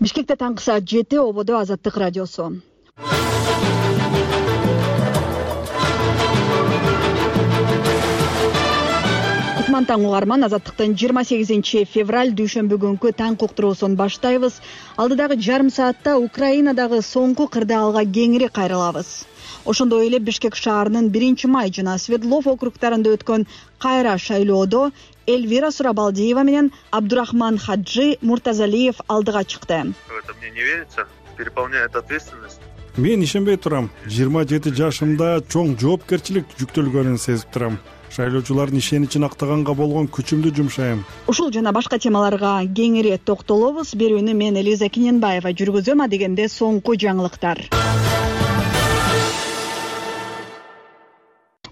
Бишкекте таңкы саат 7, ободо Азаттык радиосу. Кутман таң угарман, Азаттыктын 28 февраль дүйшөмбү күнкү таң уктуруусун баштайбыз. Алдыдагы жарым саатта Украинадагы соңку кырдаалга кеңири кайрылабыз. Ошондой эле Бишкек шаарынын 1-май жана Свердлов округдарында өткөн кайра шайлоодо Эльвира Сурабалдиева менен Абдурахман Хаджи Муртазалиев алдыга чыкты. Это мне не верится, переполняет ответственность. Мен ишенбей турам. 27 жашымда чоң жоопкерчилик жүктөлгөнүн сезип турам. Шайлоочулардын ишеничин актаганга болгон күчүмдү жумшайм. Ушул жана башка темаларга кеңири токтолобуз. Берүүнү мен Элиза Киненбаева жүргүзөм, адегенде соңку жаңылыктар.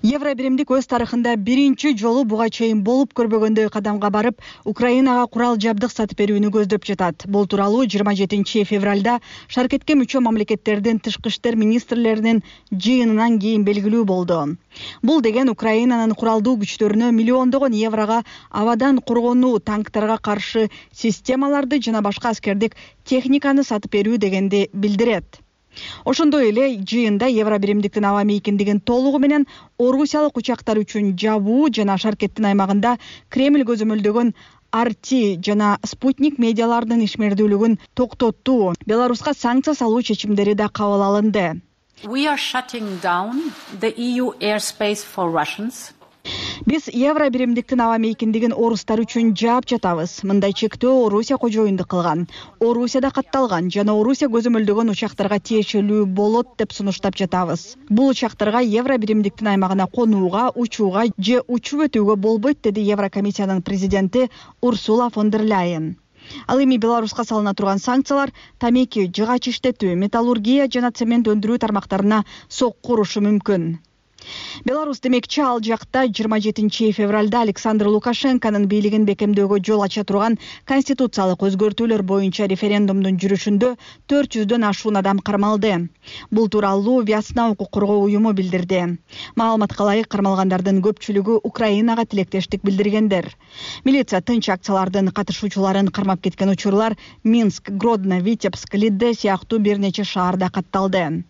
Евро биримдик өз тарыхында биринчи жолу буга чейин болуп көрбөгөндөй кадамга барып, Украинага курал жабдык сатып берүүнү көздөп жатат. Бул тууралуу 27 февралда шаркетке мүчө мамлекеттердин тышкы иштер министрлеринин жыйынынан кийин белгилүү болду. Бул деген Украинанын куралдуу күчтөрүнө миллиондогон еврога абадан коргонуу, танктарга каршы системаларды жана башка аскердик техниканы сатып берүү дегенди билдирет. Ошондой эле жыйында евро биримдиктин аба мейкиндигин толугу менен орусиялык учактар үчүн жабуу жана шаркеттин аймагында Кремль көзөмөлдөгөн RT жана Спутник медиаларынын ишмердүүлүгүн токтотуу, Беларуска санкция салуу чечимдери да кабыл алынды. We are shutting down the EU airspace for Russians. Биз евро биримдиктин аба мейкиндигин орустар үчүн жаап жатабыз. Мындай чектөө Орусия кожоюндук кылган, Орусияда катталган жана Орусия көзөмөлдөгөн учактарга тиешелүү болот деп сунуштап жатабыз. Бул учактарга евро биримдиктин аймагына конууга, учууга же учуп өтүүгө болбойт, деди Еврокомиссиянын президенти Урсула фон дер Ляйен. Ал эми Беларуска салына турган санкциялар тамеки, жыгач иштетүү, металлургия жана цемент өндүрүү тармактарына сокку урушу мүмкүн. Беларус демекчи ал жакта 27 февралда Александр Лукашенконун бийлигин бекемдөөгө жол ача турган конституциялык өзгөртүүлөр боюнча референдумдун жүрүшүндө 400дөн ашуун адам кармалды. Бул тууралуу Весна укук коргоо уюму билдирди. Маалыматка ылайык, кармалгандардын көпчүлүгү Украинага тилектештик билдиргендер. Милиция тынч акциялардын катышуучуларын кармап кеткен учурлар Минск, Гродно, Витебск, Лидде сыяктуу бир нече шаарда катталды.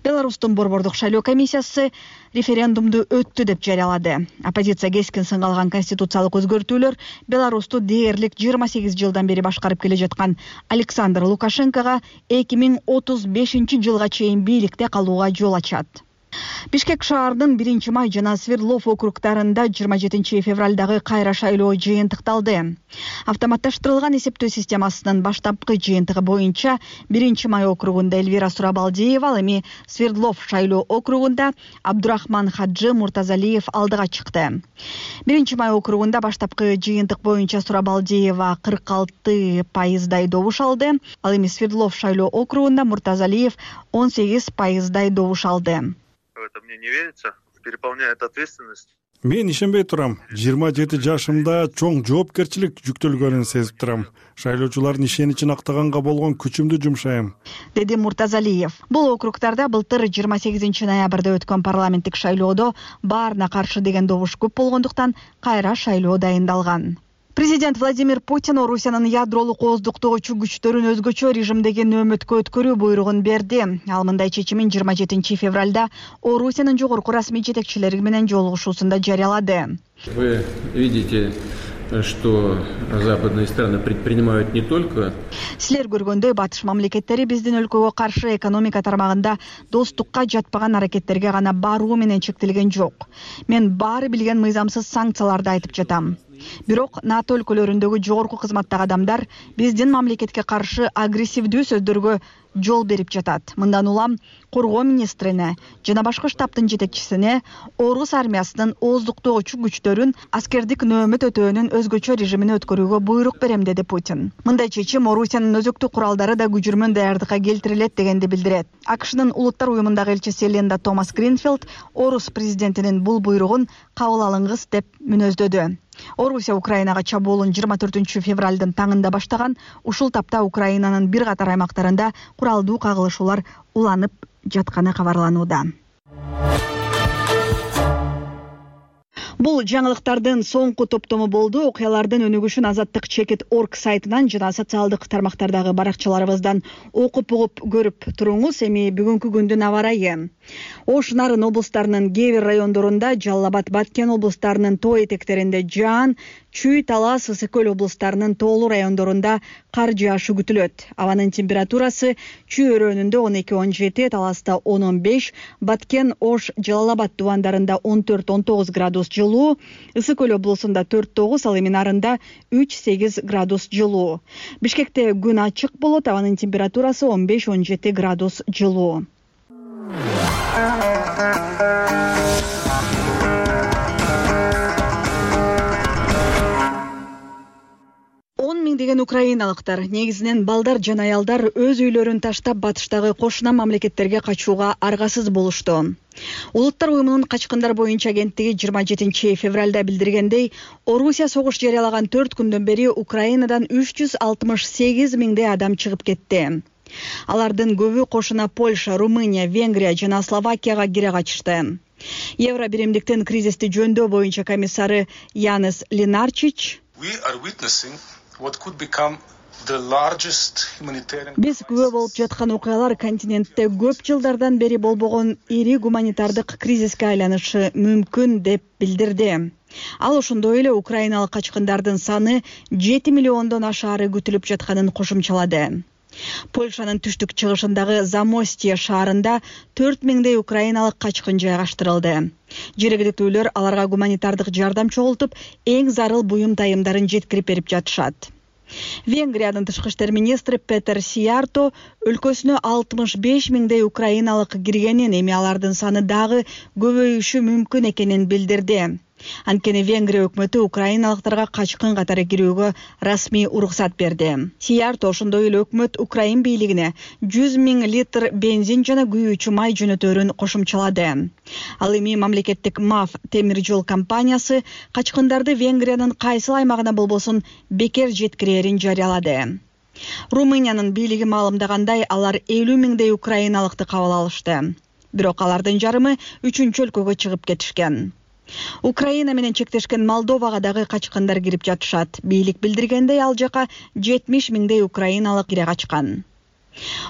Беларустун борбордук шайлоо комиссиясы референдумду өттү деп жарыялады. Оппозиция кескин сынга алган конституциялык өзгөртүүлөр Беларусту дээрлик 28 жылдан бери башкарып келе жаткан Александр Лукашенкого 2035 жылга чейин бийликте калууга жол ачат. Бишкек шаарынын 1-май жана Свердлов округдарында 27 февралдагы кайра шайлоо жыйынтыкталды. Автоматташтырылган эсептөө системасынын баштапкы жыйынтыгы боюнча 1-май округунда Эльвира Сурабалдиева, ал эми Свердлов шайлоо округунда Абдурахман Хаджи Муртазалиев алдыга чыкты. 1-май округунда баштапкы жыйынтык боюнча Сурабалдиева 46% добуш алды, ал эми Свердлов шайлоо округунда Муртазалиев 18% добуш алды. Это мне не верится, переполняет ответственность. Мен ишенбей турам. 27 жашымда чоң жоопкерчилик жүктөлгөнүн сезип турам. Шайлоочулардын ишеничин актаганга болгон күчүмдү жумшайм, деди Муртазалиев. Бул округдарда былтыр 28 ноябрда өткөн парламенттик шайлоодо баарына каршы деген добуш көп болгондуктан кайра шайлоо дайындалган. Президент Владимир Путин Орусиянын ядролук ооздуктоочу күчтөрүн өзгөчө режимдеги нөөмөткө өткөрүү буйругун берди. Ал мындай чечимин 27 февралда Орусиянын жогорку расмий жетекчилери менен жолугушуусунда жарыялады. Вы видите, что западные страны предпринимают не только. Силер көргөндөй, батыш мамлекеттери биздин өлкөгө каршы экономика тармагында достукка жатпаган аракеттерге гана баруу менен чектелген жок. Мен баары билген мыйзамсыз санкцияларды айтып жатам. Бирок НАТО өлкөлөрүндөгү жогорку кызматтагы адамдар биздин мамлекетке каршы агрессивдүү сөздөргө жол берип жатат. Мындан улам коргоо министрине жана башкы штабтын жетекчисине Орус армиясынын ооздуктоочу күчтөрүн аскердик нөөмөт өтөөнүн өзгөчө режимине өткөрүүгө буйрук берем, деди Путин. Мындай чечим Орусиянын өзөктүк куралдары да күжүрмөн даярдыкка келтирилет дегенди билдирет. АКШнын Улуттар уюмундагы элчиси Ленда Томас Гринфилд Орус президентинин бул буйругун кабыл алыңыз деп мүнөздөдү. Орусия Украинага чабуулун 24 февралдын таңында баштаган. Ушул тапта Украинанын бир катар аймактарында куралдуу кагылышуулар уланып жатканы кабарланууда. Бул жаңылыктардын соңку топтому болду. Окуялардын өнүгүшүн Azatlyk.org сайтынан жана социалдык тармактардагы баракчаларыбыздан окуп угуп көрүп туруңуз. Эми бүгүнкү күндүн аба ырайы. Ош, Нарын облустарынын кээ бир райондорунда, Жалал Абад, Баткен облустарынын тоо этектеринде жаан, Чүй, Талас, Ысык Көл облустарынын тоолуу райондорунда кар жаашы күтүлөт. Абанын температурасы Чүй өрөөнүндө 12-17, Таласта 10-15, Баткен, Ош, Жалал Абад тубандарында 14-19 градус жылуу, Ысык Көл облусунда 4-9, ал эми Нарында 3-8 градус жылуу. Бишкекте күн ачык болот, абанын температурасы 15-17 градус жылуу. 10 миңдеген украиналыктар, негизинен балдар жана аялдар өз үйлөрүн таштап батыштагы кошуна мамлекеттерге качууга аргасыз болушту. Улуттар уюмунун качкындар боюнча агенттиги 27 февралда билдиргендей, Орусия согуш жарыялаган 4 күндөн бери Украинадан 368 миңдей адам чыгып кетти. Алардын көбү кошуна Польша, Румыния, Венгрия жана Словакияга кире качышты. Евро биримдиктин кризисти жөндөө боюнча комиссары Янис Ленарчич: Биз күбө болуп жаткан окуялар континентте көп жылдардан бери болбогон ири гуманитардык кризиске айланышы мүмкүн деп билдирди. Ал ошондой эле украиналык качкындардын саны 7 миллиондон ашаары күтүлүп жатканын кошумчалады. Польшанын түштүк чыгышындагы Замостье шаарында 4 миңдей украиналык качкын жайгаштырылды. Жергиликтүүлөр аларга гуманитардык жардам чогултуп, эң зарыл буюм тайымдарын жеткирип берип жатышат. Венгриянын тышкы иштер министри Петер Сиярто өлкөсүнө 65 миңдей украиналык киргенин, эми алардын саны дагы көбөйүшү мүмкүн экенин билдирди. Анткени Венгрия өкмөтү украиналыктарга качкын катары кирүүгө расмий уруксат берди. Сиярто ошондой эле өкмөт Украин бийлигине 100 миң литр бензин жана күйүүчү май жөнөтөөрүн кошумчалады. Ал эми мамлекеттик МАФ темир жол компаниясы качкындарды Венгриянын кайсыл аймагына болбосун бекер жеткирээрин жарыялады. Румыниянын бийлиги маалымдагандай, алар 50 миңдей украиналыкты кабыл алышты. Бирок алардын жарымы 3-чү өлкөгө чыгып кетишкен. Украина менен чектешкен Молдовага дагы качкындар кирип жатышат. Бийлик билдиргендей, ал жака 70 миңдей украиналык кире качкан.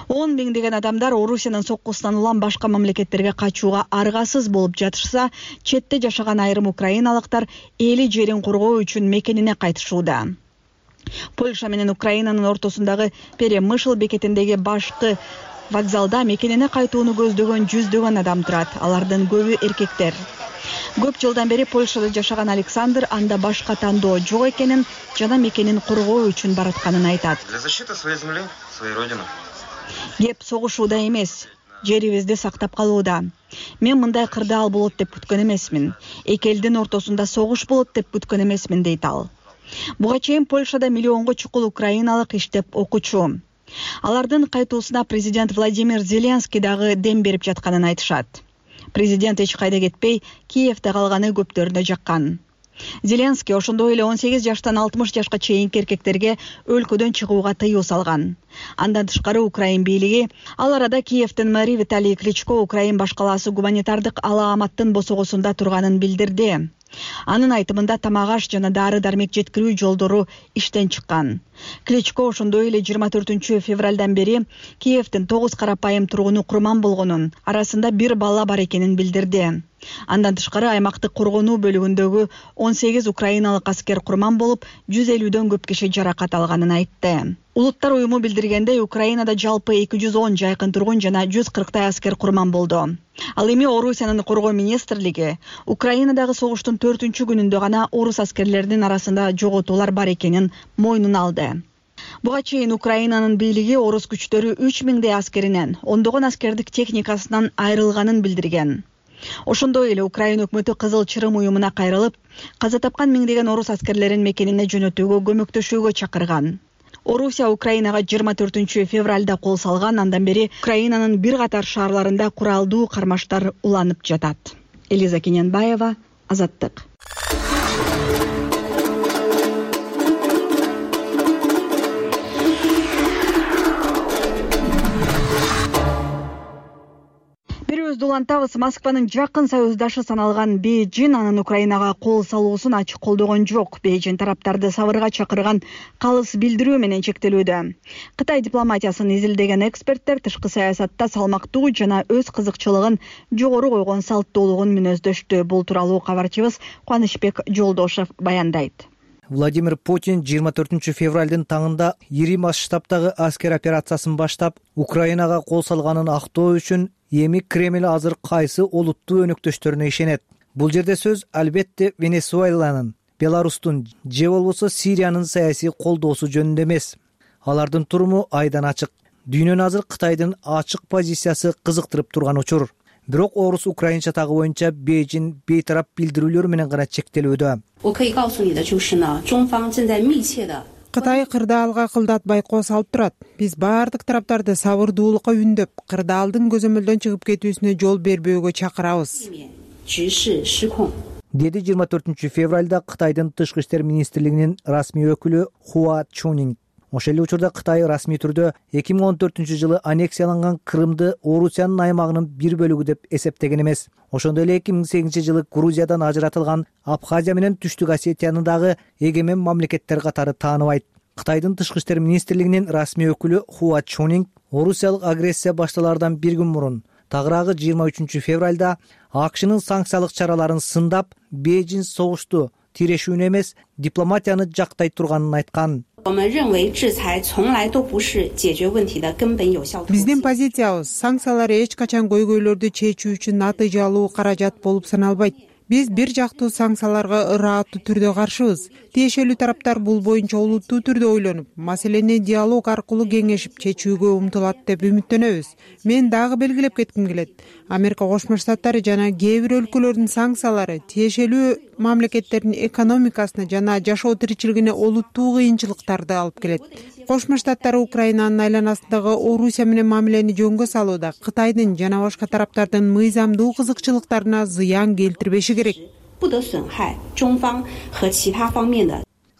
10 миңдеген адамдар Орусиянын соккусунан улам башка мамлекеттерге качууга аргасыз болуп жатышса, четте жашаган айрым украиналыктар эли жерин коргоо үчүн мекенине кайтышууда. Польша менен Украинанын ортосундагы Перемышл бекетиндеги башкы вокзалда мекенине кайтууну көздөгөн жүздөгөн адам турат. Алардын көбү эркектер. Көп жылдан бери Польшада жашаган Александр анда башка тандоо жок экенин жана мекенин коргоо үчүн баратканын айтат. Кеп согушууда эмес, жерибизди сактап калууда. Мен мындай кырдаал болот деп күткөн эмесмин. Эки элдин ортосунда согуш болот деп күткөн эмесмин, дейт ал. Буга чейин Польшада миллионго чукул украиналык иштеп окучу. Алардын кайтуусуна президент Владимир Зеленский дагы дем берип жатканын айтышат. Президент эч кайда кетпей, Киевде калганы көптөрүнө жаккан. Зеленский ошондой эле 18 жаштан 60 жашка чейинки эркектерге өлкөдөн чыгууга тыюу салган. Андан тышкары Украин бийлиги ал арада Киевдин мэри Виталий Кличко Украин башкалаасы гуманитардык алааматтын босогосунда турганын билдирди. Анын айтымында тамак-аш жана дары-дармек жеткирүү жолдору иштен чыккан. Кличко ошондой эле 24 февралдан бери Киевдин 9 карапайым тургуну курман болгонун, арасында 1 бала бар экенин билдирди. Андан тышкары аймактык коргонуу бөлүгүндөгү 18 украиналык аскер курман болуп, 150дөн көп киши жаракат алганын айтты. Улуттар уюму билдиргендей, Украинада жалпы 210 жайкын тургун жана 140 аскер курман болду. Ал эми Орусиянын коргоо министрлиги Украинадагы согуштун 4-күнүндө гана орус аскерлеринин арасында жоготуулар бар экенин мойнуна алды. Буга чейин Украинанын бийлиги орус күчтөрү 3 миңдей аскеринен, ондогон аскердик техникасынан айрылганын билдирген. Ошондой эле Украин өкмөтү Кызыл Чырым уюмуна кайрылып, каза тапкан миңдеген орус аскерлерин мекенине жөнөтүүгө көмөктөшүүгө чакырган. Орусия Украинага 24 февралда кол салган, андан бери Украинанын бир катар шаарларында куралдуу кармаштар уланып жатат. Элиза Кененбаева, Азаттык. улантабыз. Москванын жакын союздашы саналган Бейжин анын Украинага кол салуусун ачык колдогон жок. Бейжин тараптарды сабырга чакырган калыс билдирүү менен чектелүүдө. Кытай дипломатиясын изилдеген эксперттер тышкы саясатта салмактуу жана өз кызыкчылыгын жогору койгон салттуулугун мүнөздөштү. Бул тууралуу кабарчыбыз Кубанычбек Жолдошев баяндайт. Владимир Путин 24 февралдын таңында ири масштабтагы аскер операциясын баштап, Украинага кол салганын актоо үчүн эми Кремль азыр кайсы олуттуу өнөктөштөрүнө ишенет. Бул жерде сөз албетте Венесуэланын, Беларустун же болбосо Сириянын саясий колдоосу жөнүндө эмес. Алардын туруму айдан ачык. Дүйнөнү азыр Кытайдын ачык позициясы кызыктырып турган учур. Бирок орус украинча тагы боюнча Бейжин бейтарап билдирүүлөр менен гана чектелүүдө. Кытай кырдаалга кылдатпай кол салып турат. Биз баардык тараптарды сабырдуулукка үндөп, кырдаалдын көзөмөлдөн чыгып кетүүсүнө жол бербөөгө чакырабыз. Деди 24 февралда Кытайдын тышкы иштер министрлигинин расмий өкүлү Хуа Чунинг. Ошол эле учурда Кытай расмий түрдө 2014 жылы аннексияланган Крымды Орусиянын аймагынын бир бөлүгү деп эсептеген эмес. Ошондой эле 2008 жылы Грузиядан ажыратылган Абхазия менен Түштүк Осетияны дагы эгемен мамлекеттер катары тааныбайт. Кытайдын тышкы иштер министрлигинин расмий өкүлү Хуа Чунинг Орусиялык агрессия башталардан бир күн мурун, тагыраагы 23 февралда АКШнын санкциялык чараларын сындап, Бейжин согушту тирешүүнү эмес, дипломатияны жактай турганын айткан. Биздин позициябыз санкциялар эч качан көйгөйлөрдү чечүү үчүн натыйжалуу каражат болуп саналбайт. Биз бир жактуу санкцияларга ырааттуу түрдө каршыбыз. Тиешелүү тараптар бул боюнча олуттуу түрдө ойлонуп, маселени диалог аркылуу кеңешип чечүүгө умтулат деп үмүттөнөбүз. Мен дагы белгилеп кетким келет. Америка Кошмо Штаттары жана кээ бир өлкөлөрдүн санкциялары тиешелүү мамлекеттердин экономикасына жана жашоо тиричилигине олуттуу кыйынчылыктарды алып келет. Кошмо Штаттар Украинанын айланасындагы Орусия менен мамилени жөнгө салууда Кытайдын жана башка тараптардын мыйзамдуу кызыкчылыктарына зыян келтирбеши керек.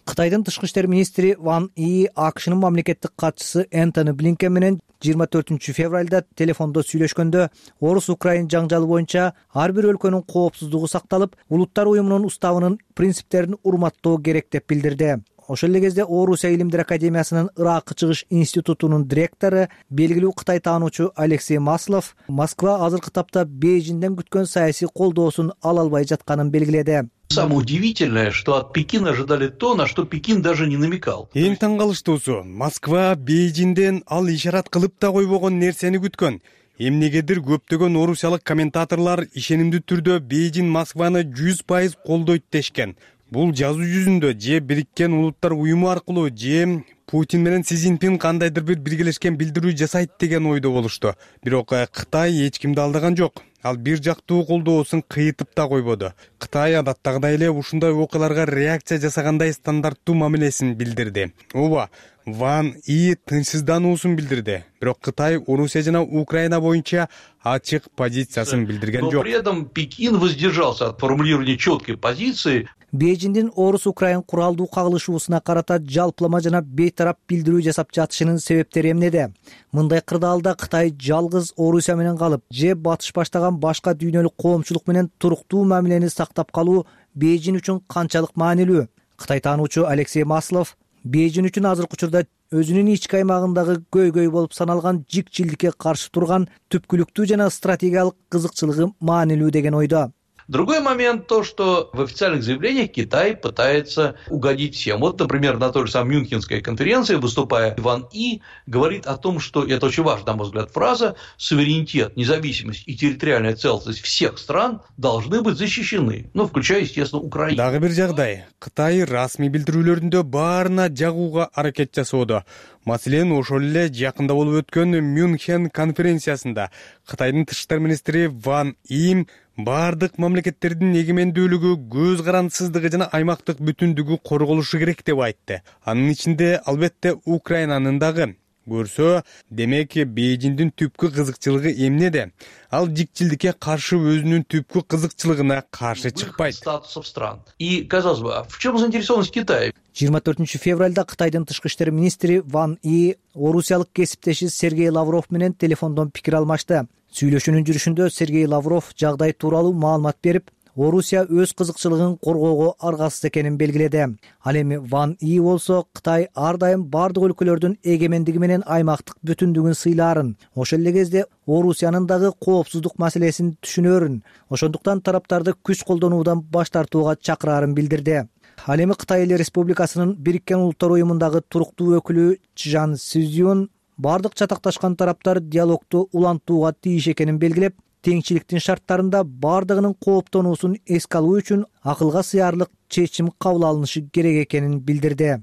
Кытайдын тышкы иштер министри Ван И АКШнын мамлекеттик катчысы Энтони Блинкен менен 24 февралда телефондо сүйлөшкөндө орус-украин жаңжалы боюнча ар бир өлкөнүн коопсуздугу сакталып, улуттар уюмунун уставынын принциптерин урматтоо керек деп билдирди. Ошол эле кезде Орусия илимдер академиясынын Иракка чыгыш институтунун директору, белгилүү Кытай таануучу Алексей Маслов Москва азыркы тапта Бейжинден күткөн саясий колдоосун ала албай жатканын белгиледи. Самое удивительное, что от Пекина ожидали то, на что Пекин даже не намекал. Эң таң калыштуусу, Москва Бейжинден ал ишарат кылып да койбогон нерсени күткөн. Эмнегедир көптөгөн орусиялык комментаторлор ишенимдүү түрдө Бейжин Москваны 100% колдойт дешкен. Бул жазуу жүзүндө же Бириккен Улуттар уюму аркылуу же Путин менен Си Цзиньпин кандайдыр бир биргелешкен билдирүү жасайт деген ойдо болушту. Бирок Кытай эч кимди алдаган жок. Ал бир жактуу колдоосун кыйтып да койбоду. Кытай адаттагыдай эле ушундай окуяларга реакция жасагандай стандарттуу мамилесин билдирди. Ооба, Ван И тынчсыздануусун билдирди. Бирок Кытай Орусия жана Украина боюнча ачык позициясын билдирген жок. Но при этом Пекин воздержался от формулирования четкой позиции. Бейжиндин орус-украин куралдуу кагылышуусуна карата жалпылама жана бейтарап билдирүү жасап жатышынын себептери эмнеде? Мындай кырдаалда Кытай жалгыз Орусия менен калып, же батыш баштаган башка дүйнөлүк коомчулук менен туруктуу мамилени сактап калуу Бейжин үчүн канчалык маанилүү? Кытай таануучу Алексей Маслов Бейжин үчүн азыркы учурда өзүнүн ички аймагындагы көйгөй болуп саналган жикчилдикке каршы турган түпкүлүктүү жана стратегиялык кызыкчылыгы маанилүү деген ойдо. Другой момент то, что в официальных заявлениях Китай пытается угодить всем. Вот, например, на той же самой Мюнхенской конференции, выступая, Ван И говорит о том, что, и это очень важная, на мой взгляд, фраза, суверенитет, независимость и территориальная целостность всех стран должны быть защищены, включая, естественно, Украину. Дагы бир жагдай, Кытай расмий билдирүүлөрүндө баарына жагууга аракет жасоодо. Маселен, ошол эле жакында болуп өткөн Мюнхен конференциясында Кытайдын тышкы иштер министри Ван И бардык мамлекеттердин эгемендүүлүгү, көз карандысыздыгы жана аймактык бүтүндүгү корголушу керек деп айтты. Анын ичинде албетте Украинанын дагы. Көрсө, демек Бейжиндин түпкү кызыкчылыгы эмнеде? Ал жикчилдикке каршы өзүнүн түпкү кызыкчылыгына каршы чыкпайт. Статусов стран. И, казалось бы, в чем заинтересованность Китая? 24 февралда Кытайдын тышкы иштер министри Ван И орусиялык кесиптеши Сергей Лавров менен телефондон пикир алмашты. Сүйлөшүүнүн жүрүшүндө Сергей Лавров жагдай тууралуу маалымат берип, Орусия өз кызыкчылыгын коргоого аргасыз экенин белгиледи. Ал эми Ван И болсо Кытай ар дайым бардык өлкөлөрдүн эгемендиги менен аймактык бүтүндүгүн сыйлаарын, ошол эле кезде Орусиянын дагы коопсуздук маселесин түшүнөрүн, ошондуктан тараптарды күч колдонуудан баш тартууга чакыраарын билдирди. Ал эми Кытай Эл Республикасынын Бириккен Улуттар уюмундагы туруктуу өкүлү Чжан Сюзюн бардык чатакташкан тараптар диалогду улантууга тийиш экенин белгилеп, теңчиликтин шарттарында бардыгынын кооптонуусун эске алуу үчүн акылга сыярлык чечим кабыл алынышы керек экенин билдирди.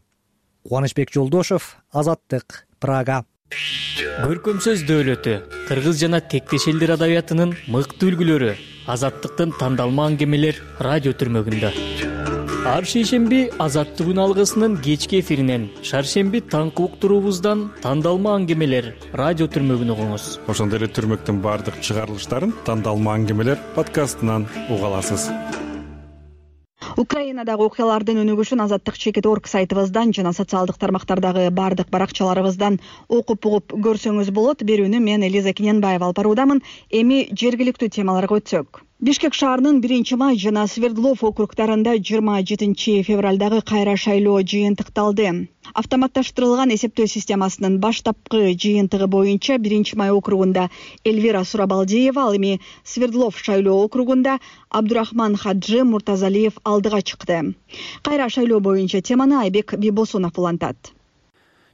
Кубанычбек Жолдошов, Азаттык, Прага. Көркөм сөз дөөлөтү, кыргыз жана тектеш элдер адабиятынын мыкты үлгүлөрү, Азаттыктын тандалма аңгемелер радио түрмөгүндө. Ар шейшемби Азаттык үн алгысынын кечки эфиринен, шаршемби таңкы уктуруубуздан тандалма аңгемелер радио түрмөгүн угуңуз. Ошондой эле түрмөктүн бардык чыгарылыштарын тандалма аңгемелер подкастынан уга аласыз. Украинадагы окуялардын өнүгүшүн Азаттык.org сайтыбыздан жана социалдык тармактардагы бардык баракчаларыбыздан окуп угуп көрсөңүз болот. Берүүнү мен Элиза Кененбаева алып баруудамын. Эми жергиликтүү темаларга өтсөк. Бишкек шаарынын 1-май жана Свердлов округдарында 27 февралдагы кайра шайлоо жыйынтыкталды. Автоматташтырылган эсептөө системасынын баштапкы жыйынтыгы боюнча 1-май округунда Эльвира Сурабалдиева, ал эми Свердлов шайлоо округунда Абдурахман Хаджи Муртазалиев алдыга чыкты. Кайра шайлоо боюнча теманы Айбек Бибосунов улантат.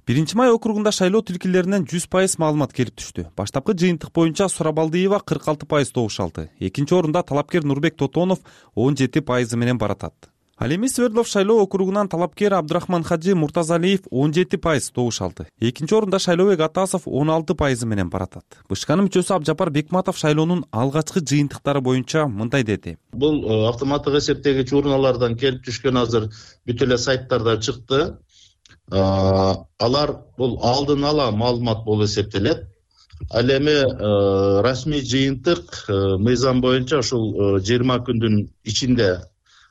1-май округунда шайлоо тилкелеринен 100% маалымат келип түштү. Баштапкы жыйынтык боюнча Сурабалдиева 46% добуш алды. Экинчи орунда талапкер Нурбек Тотонов 17% менен баратат. Ал эми Свердлов шайлоо округунан талапкер Абдурахман Хаджи Муртазалиев 17% добуш алды. Экинчи орунда Шайлообек Атасов 16% менен баратат. БШКнын мүчөсү Абжапар Бекматов шайлоонун алгачкы жыйынтыктары боюнча мындай деди. Бул автоматтык эсептегич урналардан келип түшкөн азыр бүт эле сайттарда чыкты. Алар бул алдын ала маалымат болуп эсептелет. Ал эми расмий жыйынтык мыйзам боюнча ушул 20 күндүн ичинде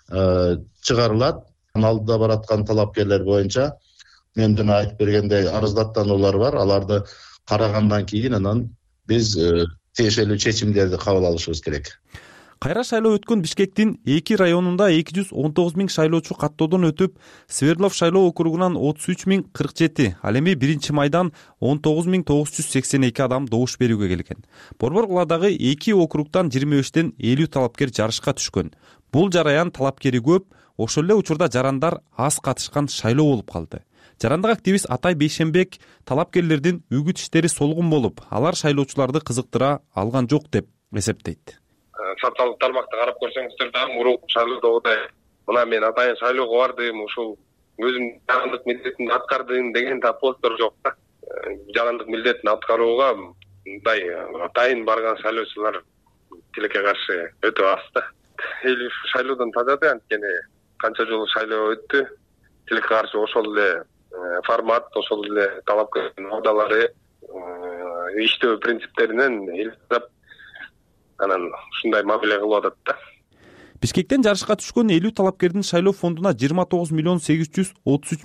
чыгарылат. Алдыда бараткан талапкерлер боюнча менден айтып бергендей арыздаттануулар бар. Аларды карагандан кийин анан биз тиешелүү чечимдерди кабыл алышыбыз керек. Кайра шайлоо өткөн Бишкектин 2 районунда 219 000 шайлоочу каттоодон өтүп, Свердлов шайлоо округунан 33 047, ал эми 1-майдан 19 982 адам добуш берүүгө келген. Борбор куладагы 2 округтан 25тен 50 талапкер жарышка түшкөн. Бул жараян талапкери көп, ошол эле учурда жарандар аз катышкан шайлоо болуп калды. Жарандык активист Атай Бейшенбек талапкерлердин үгүт иштери солгун болуп, алар шайлоочуларды кызыктыра алган жок деп эсептейт. Социалдык тармакты карап көрсөңүздөр да мурунку шайлоодогудай мына мен атайын шайлоого бардым, ушул өзүм жарандык милдетимди аткардым деген да посттор жок да. Жарандык милдетин аткарууга мындай атайын барган шайлоочулар тилекке каршы өтө аз да. Эл шайлоодон тажады, анткени канча жолу шайлоо өттү. Тилекке каршы ошол эле формат, ошол эле талапкердин абдалары, иштөө принциптеринен элтип анан ушундай мамиле кылып атат да. Бишкектен жарышка түшкөн 50 талапкердин шайлоо фондуна 29 833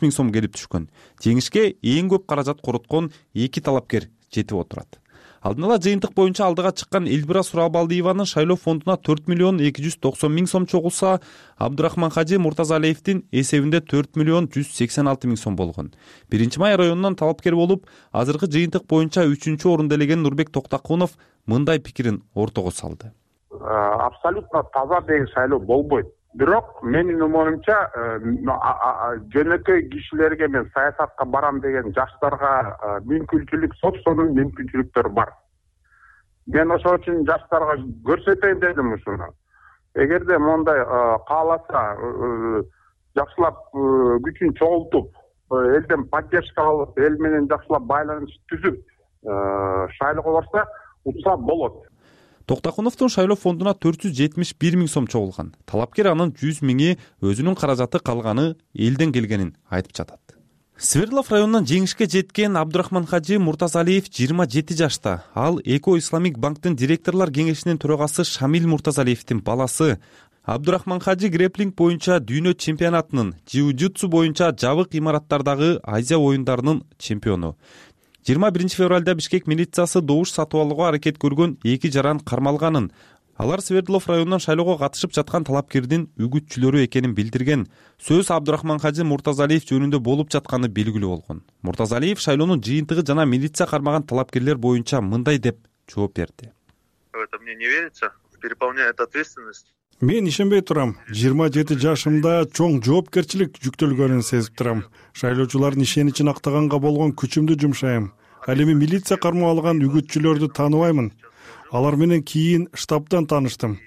000 сом келип түшкөн. Жеңишке эң көп каражат короткон 2 талапкер жетип отурат. Алдын ала жыйынтык боюнча алдыга чыккан Эльвира Сурабалдиеванын шайлоо фондуна 4 290 000 сом чогулса, Абдурахман Хаджи Муртазалиевдин эсебинде 4 186 000 сом болгон. 1-май районунан талапкер болуп, азыркы жыйынтык боюнча 3-чү орунда элеген Нурбек Токтакунов мындай пикирин ортого салды. Абсолютно таза деген шайлоо болбойт. Бирок менин умумумча жөнөкөй кишилерге мен саясатка барам деген жаштарга мүмкүнчүлүк, собственный мүмкүнчүлүктөр бар. Мен ошол үчүн жаштарга көрсөтөйүн дедим ушуну. Эгерде мондай кааласа, жакшылап күчүн чогултуп, элден поддержка алып, эл менен жакшылап байланыш түзүп шайлоого барса, утса болот. Токтакуновдун шайлоо фондуна 471 000 сом чогулган. Талапкер анын 100 000 өзүнүн каражаты калганы элден келгенин айтып жатат. Свердлов районунан жеңишке жеткен Абдурахман Хаджи Муртазалиев 27 жашта. Ал Эко Исламик банктын директорлор кеңешинин төрагасы Шамил Муртазалиевдин баласы. Абдурахман Хаджи греплинг боюнча дүйнө чемпионатынын, джиу-джитсу боюнча жабык имараттардагы Азия оюндарынын чемпиону. 21 февралда Бишкек милициясы добуш сатып алууга аракет көргөн 2 жаран кармалганын, алар Свердлов районунан шайлоого катышып жаткан талапкердин үгүтчүлөрү экенин билдирген. Сөз Абдурахман Кажы Муртазалиев жөнүндө болуп жатканы белгилүү болгон. Муртазалиев шайлоонун жыйынтыгы жана милиция кармаган талапкерлер боюнча мындай деп жооп берди. Это мне не верится, переполняет ответственность. Мен ишенбей турам. 27 жашымда чоң жоопкерчилик жүктөлгөнүн сезип турам. Шайлоочулардын ишеничин актаганга болгон күчүмдү жумшайм. Ал эми милиция кармап алган үгүтчүлөрдү тааныбаймын. Алар менен кийин штабтан тааныштым.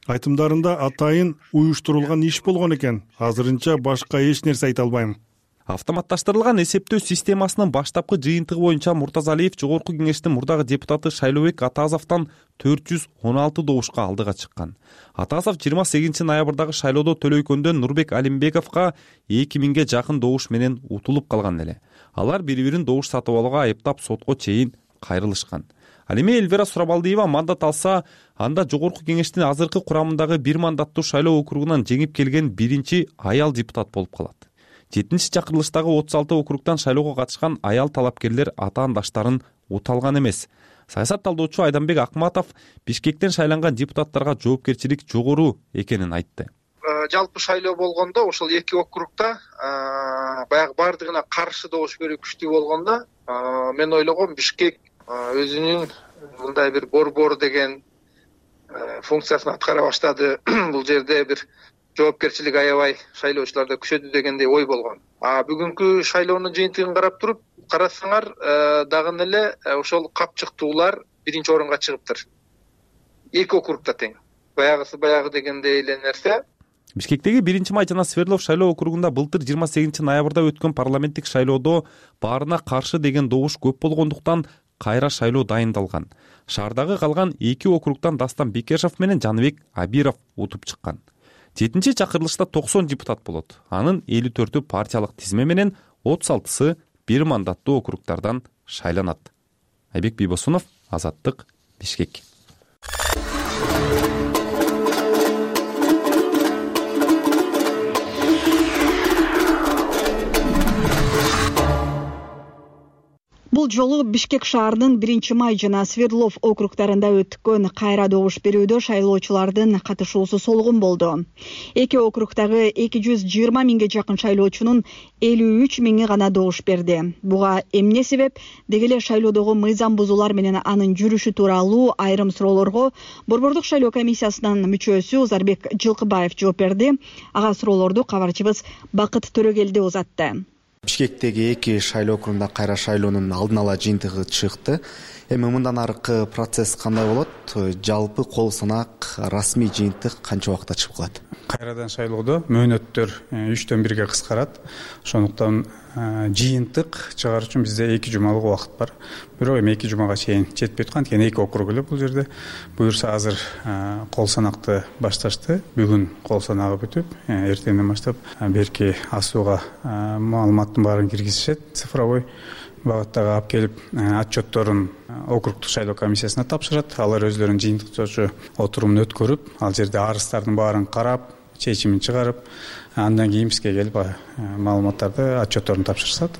Айтымдарында атайын уюштурулган иш болгон экен. Азырынча башка эч нерсе айта албайм. Автоматташтырылган эсептөө системасынын баштапкы жыйынтыгы боюнча Муртазалиев Жогорку кеңештин мурдагы депутаты Шайлообек Атазовдон 416 добушка алдыга чыккан. Атазов 28 ноябрдагы шайлоодо Төлөйкөндөн Нурбек Алимбековго 2000ге жакын добуш менен утулуп калган эле. Алар бири-бирин добуш сатып алууга айыптап сотко чейин кайрылышкан. Ал эми Эльвира Сурабалдиева мандат алса, анда Жогорку кеңештин азыркы курамындагы 1 мандаттуу шайлоо округунан жеңип келген биринчи аял депутат болуп калат. 7-чи чакырылыштагы 36 округтан шайлоого катышкан аял талапкерлер атаандаштарын уталган эмес. Саясат талдоочу Айданбек Акматов Бишкектен шайланган депутаттарга жоопкерчилик жогору экенин айтты. Жалпы шайлоо болгондо ошол 2 округта баягы бардыгына каршы добуш берүү күчтүү болгондо мен ойлогом Бишкек өзүнүн мындай бир борбор деген функциясын аткара баштады. Бул жерде бир жоопкерчилик аябай шайлоочуларда күчөдү дегендей ой болгон. Бүгүнкү шайлоонун жыйынтыгын карап туруп, карасаңар дагы эле ошол капчыктуулар биринчи орунга чыгыптыр. 2 округта тең. Баягы дегендей эле нерсе. Бишкектеги 1-май жана Свердлов шайлоо округунда былтыр 28 ноябрда өткөн парламенттик шайлоодо баарына каршы деген добуш көп болгондуктан кайра шайлоо дайындалган. Шаардагы калган 2 округтан Дастан Бекешов менен Жаныбек Абиров утуп чыккан. 7-чи чакырылышта 90 депутат болот. Анын 54-ü партиялык тизме менен 36-сы 1 мандаттуу округтардан шайланат. Айбек Бийбосунов, Азаттык, Бишкек. Бул жолу Бишкек шаарынын 1-май жана Свердлов округтарында өткөн кайра добуш берүүдө шайлоочулардын катышуусу солгун болду. 2 округдагы 220 миңге жакын шайлоочунун 53 миңи гана добуш берди. Буга эмне себеп? Деги эле шайлоодогу мыйзам бузуулар менен анын жүрүшү тууралуу айрым суроолорго Борбордук шайлоо комиссиясынын мүчөсү Узарбек Жылкыбаев жооп берди. Ага суроолорду кабарчыбыз Бакыт Төрөгелди узатты. Бишкектеги 2 шайлоо округунда кайра шайлоонун алдын ала жыйынтыгы чыкты. Эми мындан аркы процесс кандай болот? Жалпы кол санак расмий жыйынтык канча убакытта чыгып калат? Кайрадан шайлоодо мөөнөттөр 3-төн 1-ге кыскарат. Ошондуктан жыйынтык чыгар үчүн бизде 2 жумалык убакыт бар. Бирок эми 2 жумага чейин жетпей аткан экен 2 округ эле бул жерде. Буюрса азыр кол санакты башташты. Бүгүн кол санагы бүтүп, эртеңден баштап берки асууга маалыматтын баарын киргизишет. Цифровой багыттагы алып келип отчетторун округдук шайлоо комиссиясына тапшырат. Алар өздөрүнүн жыйынтыктоочу отурумун өткөрүп, ал жерде арыздардын баарын карап, чечимин чыгарып, андан кийин бизге келип маалыматтарды, отчетторун тапшырышат.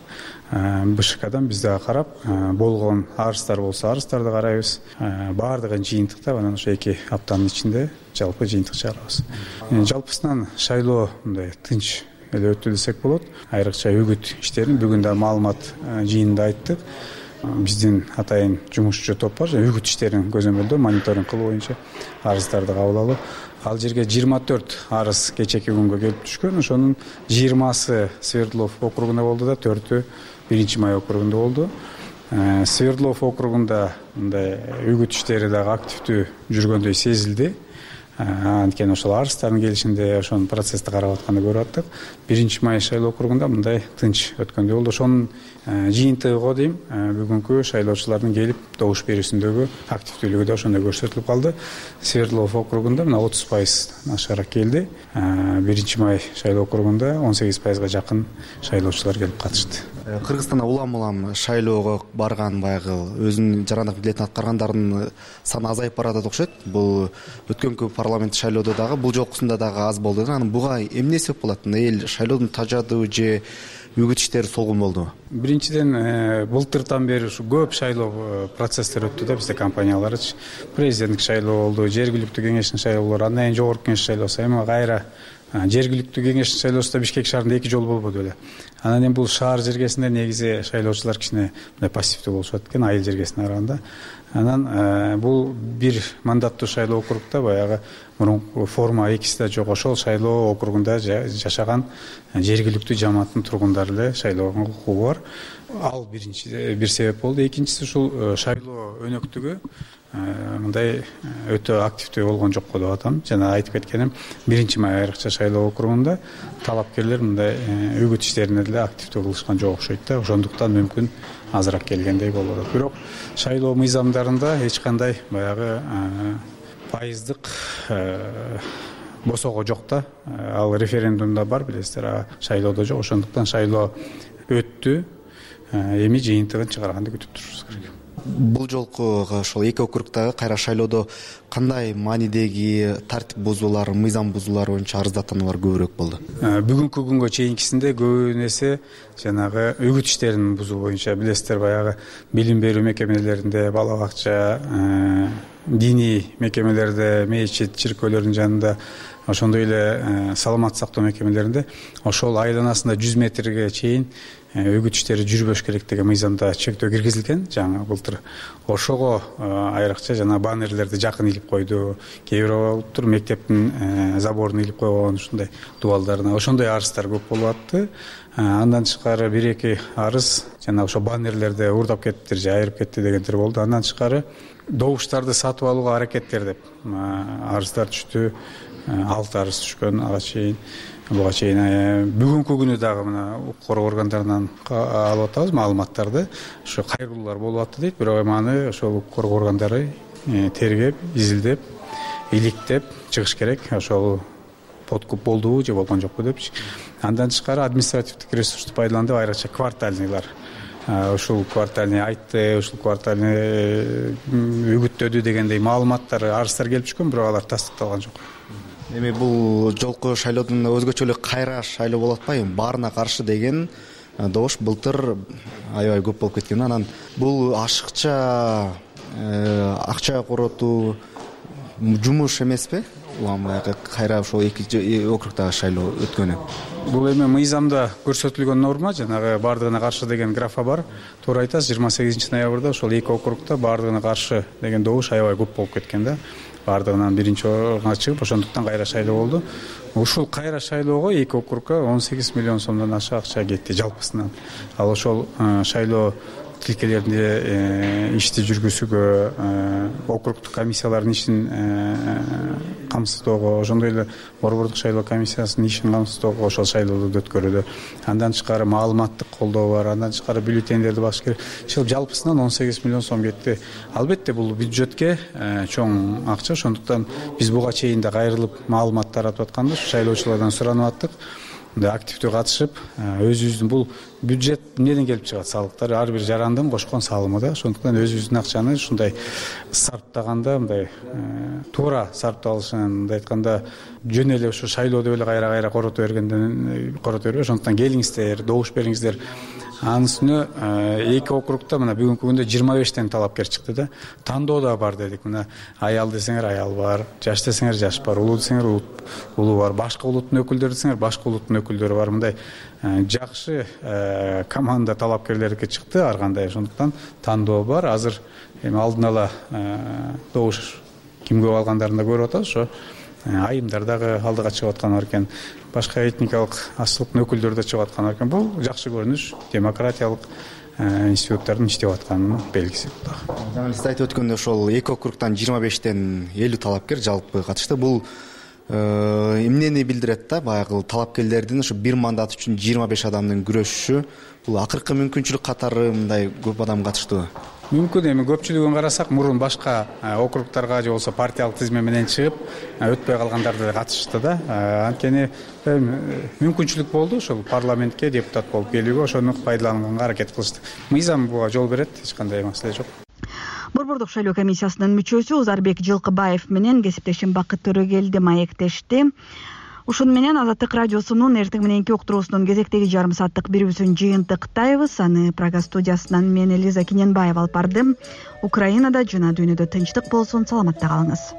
БШКдан биз дагы карап, болгон арыздар болсо арыздарды карайбыз. Баардыгын жыйынтыктап, анан ошо 2 аптанын ичинде жалпы жыйынтык чыгарабыз. Жалпысынан шайлоо мындай тынч эле өттү десек болот. Айрыкча үгүт иштерин бүгүн да маалымат жыйынында айттык. Биздин атайын жумушчу топ бар, үгүт иштерин көзөмөлдөө, мониторинг кылуу боюнча арыздарды кабыл алуу. Ал жерге 24 арыз кечеки күнгө келип түшкөн. Ошонун 20сы Свердлов округунда болду да, 4-ü 1-май округунда болду. Свердлов округунда мындай үгүт иштери дагы активдүү жүргөндөй сезилди. Анткени ошол арыздардын келишинде ошонун процессти карап атканды көрүп аттык. 1-май шайлоо округунда мындай тынч өткөндөй болду. Ошонун жыйынтыгы го дейм, бүгүнкү шайлоочулардын келип добуш берүүсүндөгү активдүүлүгү да ошондой көрсөтүлүп калды. Свердлов округунда мына 30% ашыраак келди. 1-май шайлоо округунда 18%га жакын шайлоочулар келип катышты. Кыргызстанда улам шайлоого барган баягы өзүнүн жарандык милдетин аткаргандардын саны азайып баратат окшойт. Бул өткөнкү парламент шайлоодо дагы, бул жолкусунда дагы аз болду. Анан буга эмне себеп болот? Эл шайлоодон тажадыбы же үгүт иштери солгун болдубу? Биринчиден былтыртан бери ушу көп шайлоо процесстер өттү да бизде компанияларчы. Президенттик шайлоо болду, жергиликтүү кеңештин шайлоолору, андан кийин жогорку кеңеш шайлоосу, эми кайра жергиликтүү кеңештин шайлоосу да Бишкек шаарында 2 жолу болбоду беле. Анан эми бул шаар жергесинде негизи шайлоочулар кичине мындай пассивдүү болушат экен айыл жергесине караганда. Анан бул бир мандаттуу шайлоо округда баягы мурунку форма экиси да жок, ошол шайлоо округунда жашаган жергиликтүү жамааттын тургундары эле шайлоого укугу бар. Ал бир себеп болду. Экинчиси ушул шайлоо өнөктүгү мындай өтө активдүү болгон жок го деп атам. Жана айтып кеткеним, 1-май айрыкча шайлоо округунда талапкерлер мындай үгүт иштерине деле активдүү кылышкан жок окшойт да. Ошондуктан мүмкүн азыраак келгендей болуп атат. Бирок шайлоо мыйзамдарында эч кандай баягы пайыздык босого жок да. Ал референдумда бар, билесиздер, шайлоодо жок. Ошондуктан шайлоо өттү. Эми жыйынтыгын чыгарганды күтүп турушубуз керек. Бул жолку ошол 2 округдагы кайра шайлоодо кандай маанидеги тартип бузуулар, мыйзам бузуулар боюнча арыздатуулар көбүрөөк болду? Бүгүнкү күнгө чейинкисинде көбүн эсе жанагы үгүт иштерин бузуу боюнча, билесиздер, баягы билим берүү мекемелеринде, бала бакча, диний мекемелерде, мечит, чиркөөлөрдүн жанында, ошондой эле саламат сактоо мекемелеринде ошол айланасында 100 метрге чейин үгүт иштери жүрбөш керек деген мыйзамда чектөө киргизилген жаңы былтыр. Ошого айрыкча жана баннерлерди жакын илип койду. Кээ бир болуптур мектептин заборун илип койгон, ушундай дубалдарына. Ошондой арыздар көп болуп атты. Андан тышкары 1-2 арыз жана ошо баннерлерди уурдап кеттир же айырып кетти дегендер болду. Андан тышкары добуштарды сатып алууга аракеттер деп арыздар түштү. 6 арыз түшкөн ага чейин. Буга чейин бүгүнкү күнү дагы мына укук коргоо органдарынан алып атабыз маалыматтарды. Ошо кайрылуулар болуп атты дейт, бирок эми аны ошол укук коргоо органдары тергеп, изилдеп, иликтеп чыгыш керек. Ошол подкуп болдубу же болгон жокпу депчи. Андан тышкары административдик ресурсту пайдаланып айрыкча квартальныйлар. Ушул квартальный айтты, ушул квартальный үгүттөдү дегендей маалыматтар, арыздар келип түшкөн, бирок алар тастыкталган жок. Эми бул жолку шайлоодон өзгөчө эле кайра шайлоо болуп атпайбы? Баарына каршы деген добуш былтыр аябай көп болуп кеткен. Анан бул ашыкча акча коротуу жумуш эмеспи? Баягы кайра ошол 2 округдагы шайлоо өткөнү. Бул эми мыйзамда көрсөтүлгөн норма, жанагы бардыгына каршы деген графа бар. Туура айтасыз, 28 ноябрда ошол 2 округда бардыгына каршы деген добуш аябай көп болуп кеткен да. Бардыгынан 1-орунга чыгып, ошондуктан кайра шайлоо болду. Ушул кайра шайлоого 2 округга 18 миллион сомдон аша акча кетти жалпысынан. Ал ошол шайлоо тилкелеринде ишти жүргүзүүгө, округдук комиссиялардын ишин камсыздоого, ошондой эле борбордук шайлоо комиссиясынын ишин камсыздоого ошол шайлоодо өткөрүүдө. Андан тышкары маалыматтык колдоо бар, андан тышкары бюллетендерди басыш керек. Ушул жалпысынан 18 миллион сом кетти. Албетте бул бюджетке чоң акча, ошондуктан биз буга чейин да кайрылып маалымат таратып атканбыз, шайлоочулардан суранып аттык. Активдүү катышып, өзүбүздүн бул бюджет эмнеден келип чыгат? Салыктар ар бир жарандын кошкон салымы да. Ошондуктан өзүбүздүн акчаны ушундай сарптаганда, мындай туура сарпталышын, мындай айтканда, жөн эле ушу шайлоодо эле кайра корото бербей, ошондуктан келиңиздер, добуш бериңиздер. Анын үстүнө 2 округда мына бүгүнкү күндө 25тен талапкер чыкты да. Тандоо да бар дедик. Мына аял десеңер аял бар, жаш десеңер жаш бар, улуу десеңер улуу бар, башка улуттун өкүлдөрү десеңер башка улуттун өкүлдөрү бар. Мындай жакшы команда талапкерлерге чыкты ар кандай. Ошондуктан тандоо бар. Азыр эми алдын ала добуш кимге алгандарын да көрүп атабыз. Ошо айымдар дагы алдыга чыгып аткан экен. Башка этникалык ачлыктын өкүлдөрү да чыгып аткан экен. Бул жакшы көрүнүш, демократиялык институттардын иштеп атканынын белгиси. Жана сиз айтып өткөндөй ошол 2 округтан 25тен 50 талапкер жалпы катышты. Бул эмнени билдирет да? Баягы талапкерлердин ошо бир мандат үчүн 25 адамдын күрөшүшү, бул акыркы мүмкүнчүлүк катары мындай көп адам катыштыбы? Мүмкүн, эми көпчүлүгүн карасак, мурун башка округдарга же болбосо партиялык тизме менен чыгып, өтпөй калгандар да катышты да. Анткени мүмкүнчүлүк болду ошол парламентке депутат болуп келүүгө, ошону пайдаланганга аракет кылышты. Мыйзам буга жол берет, эч кандай маселе жок. Борбордук шайлоо комиссиясынын мүчөсү Узарбек Жылкыбаев менен кесиптешим Бакыт Төрөгелди маектешти. Ушун менен Азаттык радиосунун эртең мененки уктуруусунун кезектеги жарым сааттык берүүсүн жыйынтыктайбыз. Аны Прага студиясынан мен Элиза Кененбаева алып бардым. Украинада жана дүйнөдө тынчтык болсун, саламатта калыңыз.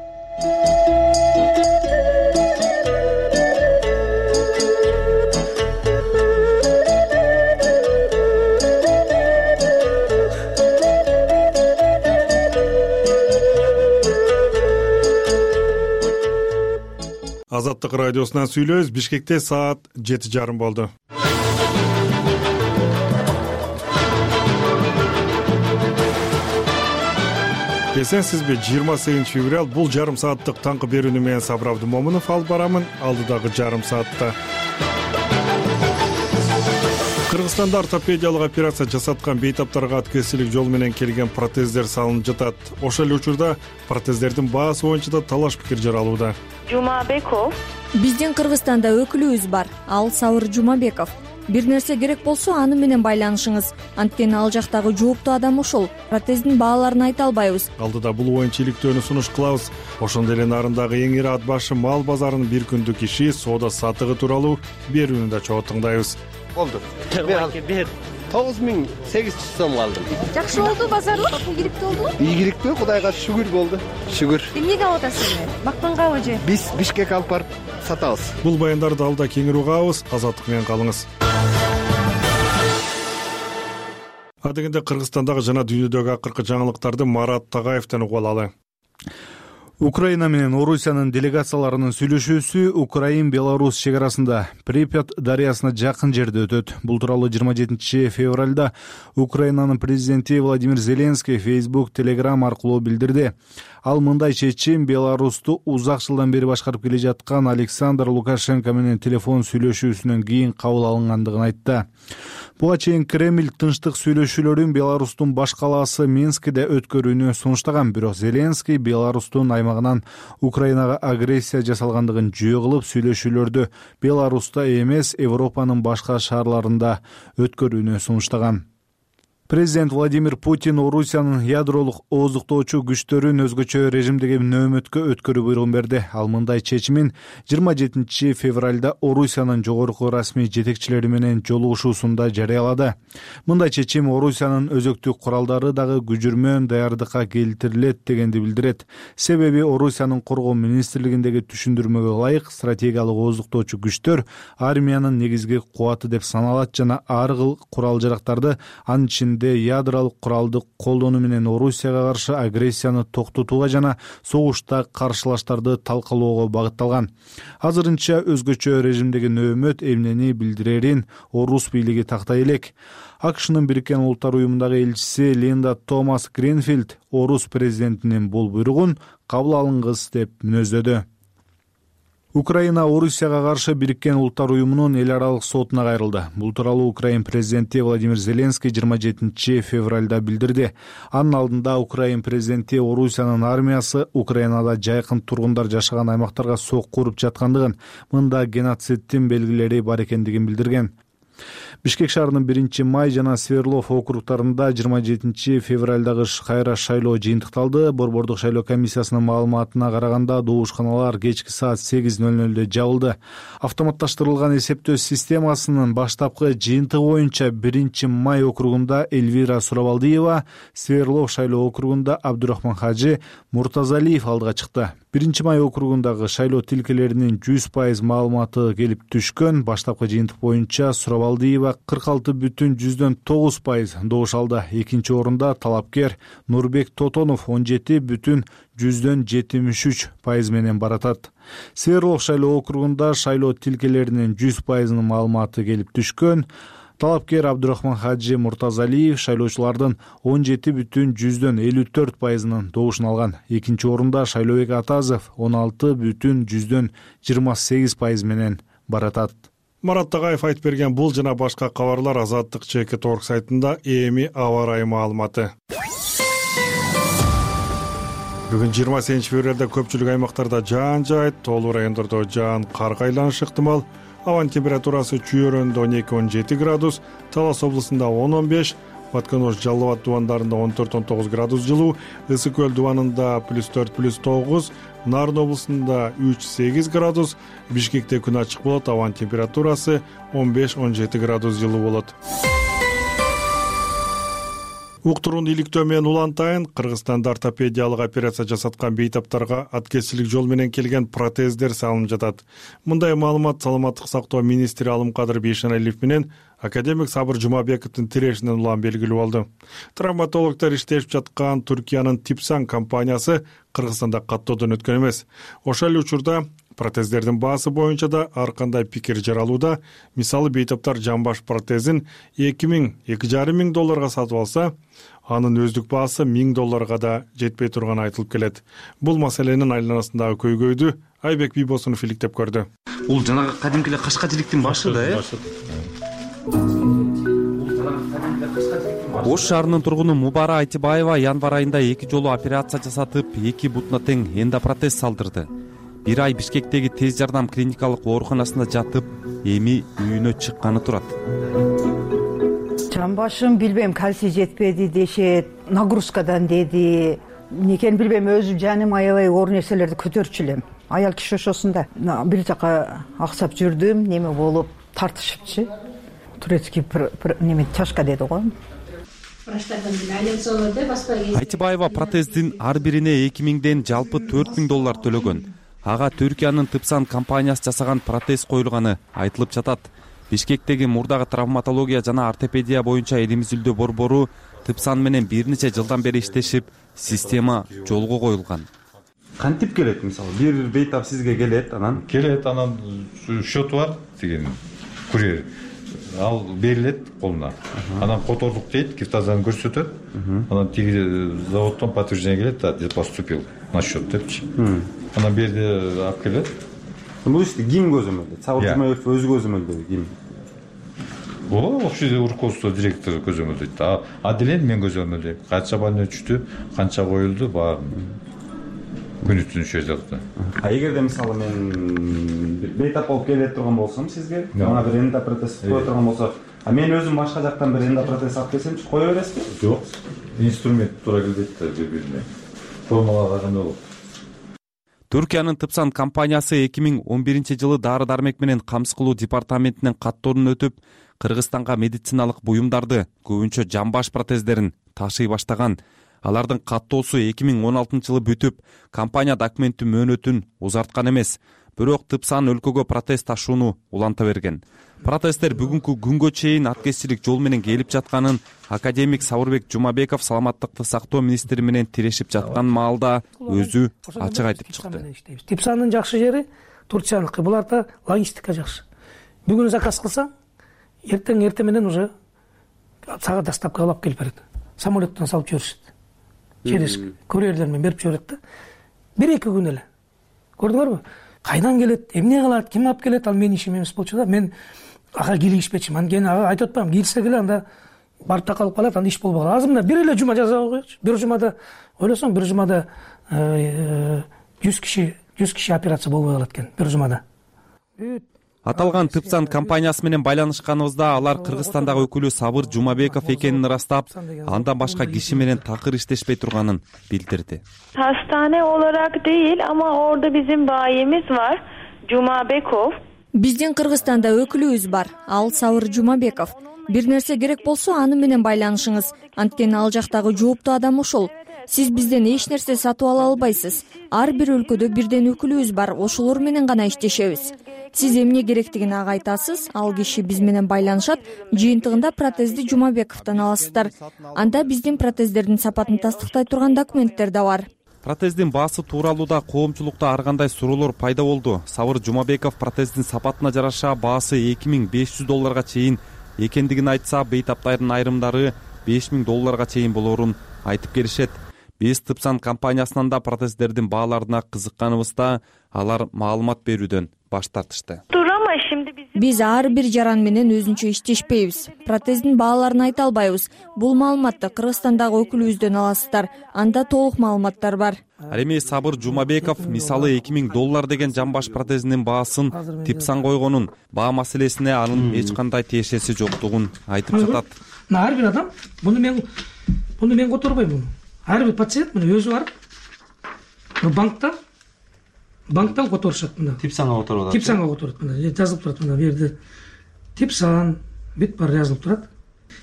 Азаттык радиосунан сүйлөйбүз. Бишкекте саат 7:30 болду. Эсенсизби? 28 февраль бул жарым сааттык таңкы берүүнү менен Сабыр Абдымомунов алып барамын. Алдыдагы жарым саатта Кыргызстанда ортопедиялык операция жасаткан бейтаптарга аткезчилик жол менен келген протездер салынып жатат. Ошол эле учурда протездердин баасы боюнча да талаш пикир жаралууда. Жумабеков. Биздин Кыргызстанда өкүлүбүз бар. Ал Сабыр Жумабеков. Бир нерсе керек болсо аны менен байланышыңыз. Анткени ал жактагы жооптуу адам ошол. Протездин бааларын айта албайбыз. Алдыда бул боюнча иликтөөнү сунуш кылабыз. Ошондой эле нарындагы эң ири ат башы мал базарынын бир күндүк иши, соода сатыгы тууралуу берүүнү да чогуу тыңдайбыз. Болду. Бер 9800 сом алдым. Жакшы болду базарлык, ийгиликтүү болдубу? Ийгиликтүү, Кудайга шүгүр болду. Шүгүр. Эмнеге алып атасыз эми? Мактангабы же? Биз Бишкек алып барып сатабыз. Бул баяндарды алда кеңири угабыз. Азаттык менен калыңыз. Адегенде Кыргызстандагы жана дүйнөдөгү акыркы жаңылыктарды Марат Тагаевден угуп алалы. Украина менен Орусиянын делегацияларынын сүйлөшүүсү Украин-Беларусь чек арасында Припят дарыясына жакын жерде өтөт. Бул тууралуу 27 февралда Украинанын президенти Владимир Зеленский Facebook, Telegram аркылуу билдирди. Ал мындай чечим Беларусту узак жылдан бери башкарып келе жаткан Александр Лукашенко менен телефон сүйлөшүүсүнөн кийин кабыл алынгандыгын айтты. Буга чейин Кремль тынчтык сүйлөшүүлөрүн Беларустун баш калаасы Минскиде өткөрүүнү сунуштаган, бирок Зеленский Беларустун аймагынан Украинага агрессия жасалгандыгын жөө кылып, сүйлөшүүлөрдү Беларуста эмес, Европанын башка шаарларында өткөрүүнү сунуштаган. Президент Владимир Путин Орусиянын ядролук ооздуктоочу күчтөрүн өзгөчө режимдеги нөөмөткө өткөрүү буйругун берди. Ал мындай чечимин 27 февралда Орусиянын жогорку расмий жетекчилери менен жолугушуусунда жарыялады. Мындай чечим Орусиянын өзөктүк куралдары дагы күжүрмөн даярдыкка келтирилет дегенди билдирет. Себеби Орусиянын коргоо министрлигиндеги түшүндүрмөгө ылайык стратегиялык ооздуктоочу күчтөр армиянын негизги кубаты деп саналат жана ар кыл курал-жарактарды, анын ичинде ядролук куралды колдонуу менен Орусияга каршы агрессияны токтотууга жана согушта каршылаштарды талкалоого багытталган. Азырынча өзгөчө режимдеги нөөмөт эмнени билдирерин орус бийлиги тактай элек. АКШнын Бириккен Улуттар уюмундагы элчиси Линда Томас Гринфилд орус президентинин бул буйругун кабыл алынгыс деп мүнөздөдү. Украина Орусияга каршы Бириккен Улуттар уюмунун эл аралык сотуна кайрылды. Бул тууралуу Украин президенти Владимир Зеленский 27 февралда билдирди. Анын алдында Украин президенти Орусиянын армиясы Украинада жайкын тургундар жашаган аймактарга сокку уруп жаткандыгын, мында геноциддин белгилери бар экендигин билдирген. Бишкек шаарынын 1-май жана Сверлов округтарында 27 февралдагы кайра шайлоо жыйынтыкталды. Борбордук шайлоо комиссиясынын маалыматына караганда доошканалар кечки саат 8:00 жабылды. Автоматташтырылган эсептөө системасынын баштапкы жыйынтыгы боюнча 1-май округунда Эльвира Сурабалдиева, Сверлов шайлоо округунда Абдурахман Хажи Муртазалиев алдыга чыкты. 1-май округундагы шайлоо тилкелеринин 100% маалыматы келип түшкөн. Баштапкы жыйынтык боюнча Сурабалдиева 46,9% добуш алды. Экинчи орунда талапкер Нурбек Тотонов 17,73% менен баратат. Сверлов шайлоо округунда шайлоо тилкелеринин 100% маалыматы келип түшкөн. Талапкер Абдурахман Хажи Муртазалиев шайлоочулардын 17,54% добушун алган. Экинчи орунда Шайлообек Атазов 16,28% менен баратат. Марат Тагаев айтып берген бул жана башка кабарлар Азаттык ЧК.org сайтында эми аба ырайы маалыматы. Бүгүн 28 февралда көпчүлүк аймактарда жаан жаайт, тоолуу райондордо жаан карга айланышы ыктымал. Абанын температурасы Чүйөрөндө 12-17 градус, Талас облусунда 10-15, Батконош, Жалал Абад дубандарында 14-19 градус жылуу, Ысык Көл дубанында +4-+9, Нарын облусунда 3-8 градус, Бишкекте күн ачык болот, абанын температурасы 15-17 градус жылуу болот. Уктуруун иликтөө менен улантайын, Кыргызстанда ортопедиялык операция жасаткан бейтаптарга аткезчилик жол менен келген протездер салынып жатат. Мындай маалымат Саламаттык сактоо министри Алымкадыр Бейшеналиев менен академик Сабыр Жумабековдун тирешинен улам белгилүү болду. Травматологдор иштешип жаткан Түркиянын Типсан компаниясы Кыргызстанда каттоодон өткөн эмес. Ошол эле учурда протездердин баасы боюнча да ар кандай пикир жаралууда. Мисалы, бейтаптар жамбаш протезин $2,000–2,500 сатып алса, анын өздүк баасы $1,000 да жетпей турганы айтылып келет. Бул маселенин айланасындагы көйгөйдү Айбек Бийбосунов иликтеп көрдү. Бул жанагы кадимки эле кашкачиликтин башы да, Ош шаарынын тургуну Мубара Айтибаева январь айында 2 жолу операция жасатып, 2 бутуна тең эндопротез салдырды. 1 ай Бишкектеги тез жардам клиникалык ооруканасында жатып, эми үйүнө чыкканы турат. Жамбашым билбейм, кальций жетпеди дешет, нагрузкадан деди. Некени билбейм, өзүм жаным аябай оор нерселерди көтөрчү элем. Аял киши ошосунда. Бир жака аксап жүрдүм, неме болуп тартышыпчы. Турецкий неме чашка деди го. Айтибаева протездин ар бирине $2,000 жалпы $4,000 төлөгөн. Ага Түркиянын Типсан компаниясы жасаган протез коюлганы айтылып жатат. Бишкектеги мурдагы травматология жана ортопедия боюнча элимиздүү борбору Типсан менен бир нече жылдан бери иштешип, система жолго коюлган. Кантип келет, мисалы, бир бейтап сизге келет, анан счету бар деген курьер. Ал берилет колуна. Анан котордук дейт, киртазаны көрсөтөт. Анан тиги заводдон подтверждение келет, да, поступил на счет депчи. Анан берди алып келет. Бул ишти ким көзөмөлдөйт? Сабыр Жумабеков өзү көзөмөлдөйбү, ким? Общий руководство директор көзөмөлдөйт. Делен мен көзөмөлдөйм. Канча больной түштү, канча коюлду, баарын күнү түнү жазды. Эгерде мисалы мен бейтап болуп келе турган болсом сизге, мага бир эндопротез кое турган болсо, мен өзүм башка жактан бир эндопротез алып келсемчи, кое бересизби? Жок. Инструмент туура келбейт да бири-бирине. Формулагандай болот. Түркиянын Типсан компаниясы 2011-жылы дары-дармек менен камсыз кылуу департаментинен каттоодон өтүп, Кыргызстанга медициналык буюмдарды, көбүнчө жамбаш протездерин ташый баштаган. Алардын каттоосу 2016-жылы бүтүп, компания документтин мөөнөтүн узарткан эмес. Бирок Типсан өлкөгө протез ташууну уланта берген. Протездер бүгүнкү күнгө чейин аткезчилик жол менен келип жатканын академик Сабырбек Жумабеков Саламаттыкты сактоо министри менен тирешип жаткан маалда өзү ачык айтып чыкты. Типсанын жакшы жери Турцияныкы. Буларда логистика жакшы. Бүгүн заказ кылсаң, эртең менен уже сага доставка алып келип берет. Самолеттон салып жиберишет. Через курьерлер менен берип жиберет да. 1-2 күн эле. Көрдүңөрбү? Кайдан келет, эмне кылат, ким алып келет, ал менин ишим эмес болчу да. Мен ага кийлигишпечимин. Анткени ага айтып атпаймынбы, кийилсе келе анда барып такалып калат, анда иш болбой калат. Азырында бир эле жума жасап коечу. Бир жумада ойлосоң, бир жумада 100 киши операция болбой калат экен бир жумада. Аталган Типсан компаниясы менен байланышканыбызда алар Кыргызстандагы өкүлү Сабыр Жумабеков экенин ырастап, андан башка киши менен такыр иштешпей турганын билдирди. Hastane olarak değil ama orada bizim bayimiz var, Jumabekov. Биздин Кыргызстанда өкүлүбүз бар, ал Сабыр Жумабеков. Бир нерсе керек болсо аны менен байланышыңыз. Анткени ал жактагы жооптуу адам ошол. Сиз бизден эч нерсе сатып ала албайсыз. Ар бир өлкөдө бирден өкүлүбүз бар, ошолор менен гана иштешебиз. Сиз эмне керектигин ага айтасыз, ал киши биз менен байланышат, жыйынтыгында протезди Жумабековдон аласыздар. Анда биздин протездердин сапатын тастыктай турган документтер да бар. Протездин баасы тууралууда коомчулукта ар кандай суроолор пайда болду. Сабыр Жумабеков протездин сапатына жараша баасы $2,500 чейин экендигин айтса, бейтаптардын айрымдары $5,000 чейин болорун айтып келишет. Биз Типсан компаниясынан да протездердин бааларына кызыкканыбызда алар маалымат берүүдөн баш тартышты. Биз ар бир жаран менен өзүнчө иштешпейбиз. Протездин бааларын айта албайбыз. Бул маалыматты Кыргызстандагы өкүлүбүздөн аласыздар. Анда толук маалыматтар бар. Ал эми Сабыр Жумабеков мисалы $2,000 деген жамбаш протезинин баасын Типсан койгонун, баа маселесине анын эч кандай тиешеси жоктугун айтып жатат. мына ар бир адам муну мен которбойм. Ар бир пациент мына өзү барып банктан которушат мына. Типсанга которуп атат. Типсанга которот мына. Жазылып турат мына бу жерде. Типсан бүт бар жазылып турат.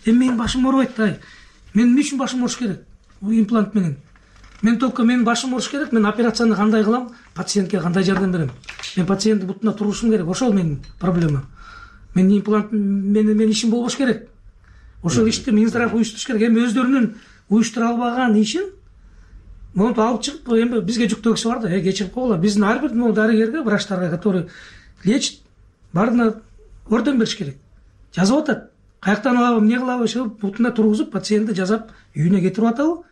Менин башым оорубайт да. Мен эмне үчүн башым ооруш керек? Бул имплант менен. Мен только менин башым ооруш керек. Мен операцияны кандай кылам? Пациентке кандай жардам берем? Мен пациенттин бутуна турушум керек. Ошол менин проблема. Мен имплант менен ишим болбош керек. Ошол ишти Минздрав уюштуруш керек. Эми өздөрүнүн уюштура албаган ишин монтип алып чыгып, эми бизге жүктөгүсү бар да, кечирип койгула. Биздин ар бир дарыгерге, врачтарга, который лечит, баарына орден бериш керек. Жазып атат. Каяктан алабы, эмне кылабы, ошо бутуна тургузуп, пациентти жазап үйүнө кетирип атабы.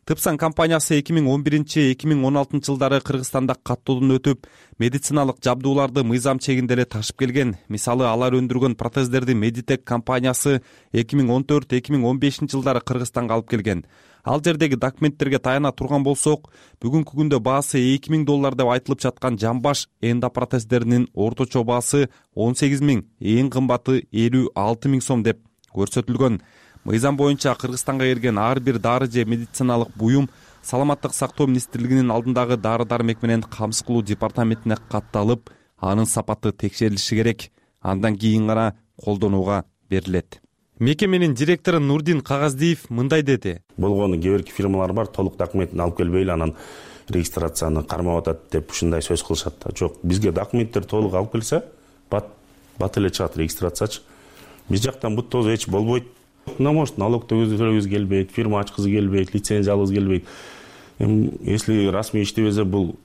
Типсан компаниясы 2011-2016 жылдары Кыргызстанда каттоодон өтүп, медициналык жабдууларды мыйзам чегинде эле ташып келген. Мисалы, алар өндүргөн протездерди Meditech компаниясы 2014-2015 жылдары Кыргызстанга алып келген. Ал жердеги документтерге таяна турган болсок, бүгүнкү күндө баасы $2,000 деп айтылып жаткан жамбаш эндопротездеринин орточо баасы 18 000, эң кымбаты 56 000 сом деп көрсөтүлгөн. Мыйзам боюнча Кыргызстанга келген ар бир дары же медициналык буюм Саламаттык сактоо министрлигинин алдындагы дары-дармек менен камсыз кылуу департаментине катталып, анын сапаты текшерилиши керек. Андан кийин гана колдонууга берилет. Мекеменин директору Нурдин Кагаздиев мындай деди. Болгону кээ бир фирмалар бар, толук документин алып келбей эле анан регистрацияны кармап атат деп ушундай сөз кылышат да. Жок, бизге документтер толук алып келсе, бат эле чыгат регистрациячы. Биз жактан бут тоз эч болбойт. Мына может налог төлөгүбүз келбейт, фирма ачкызы келбейт, лицензия алгыбыз келбейт. Если расмий иштебесе, бул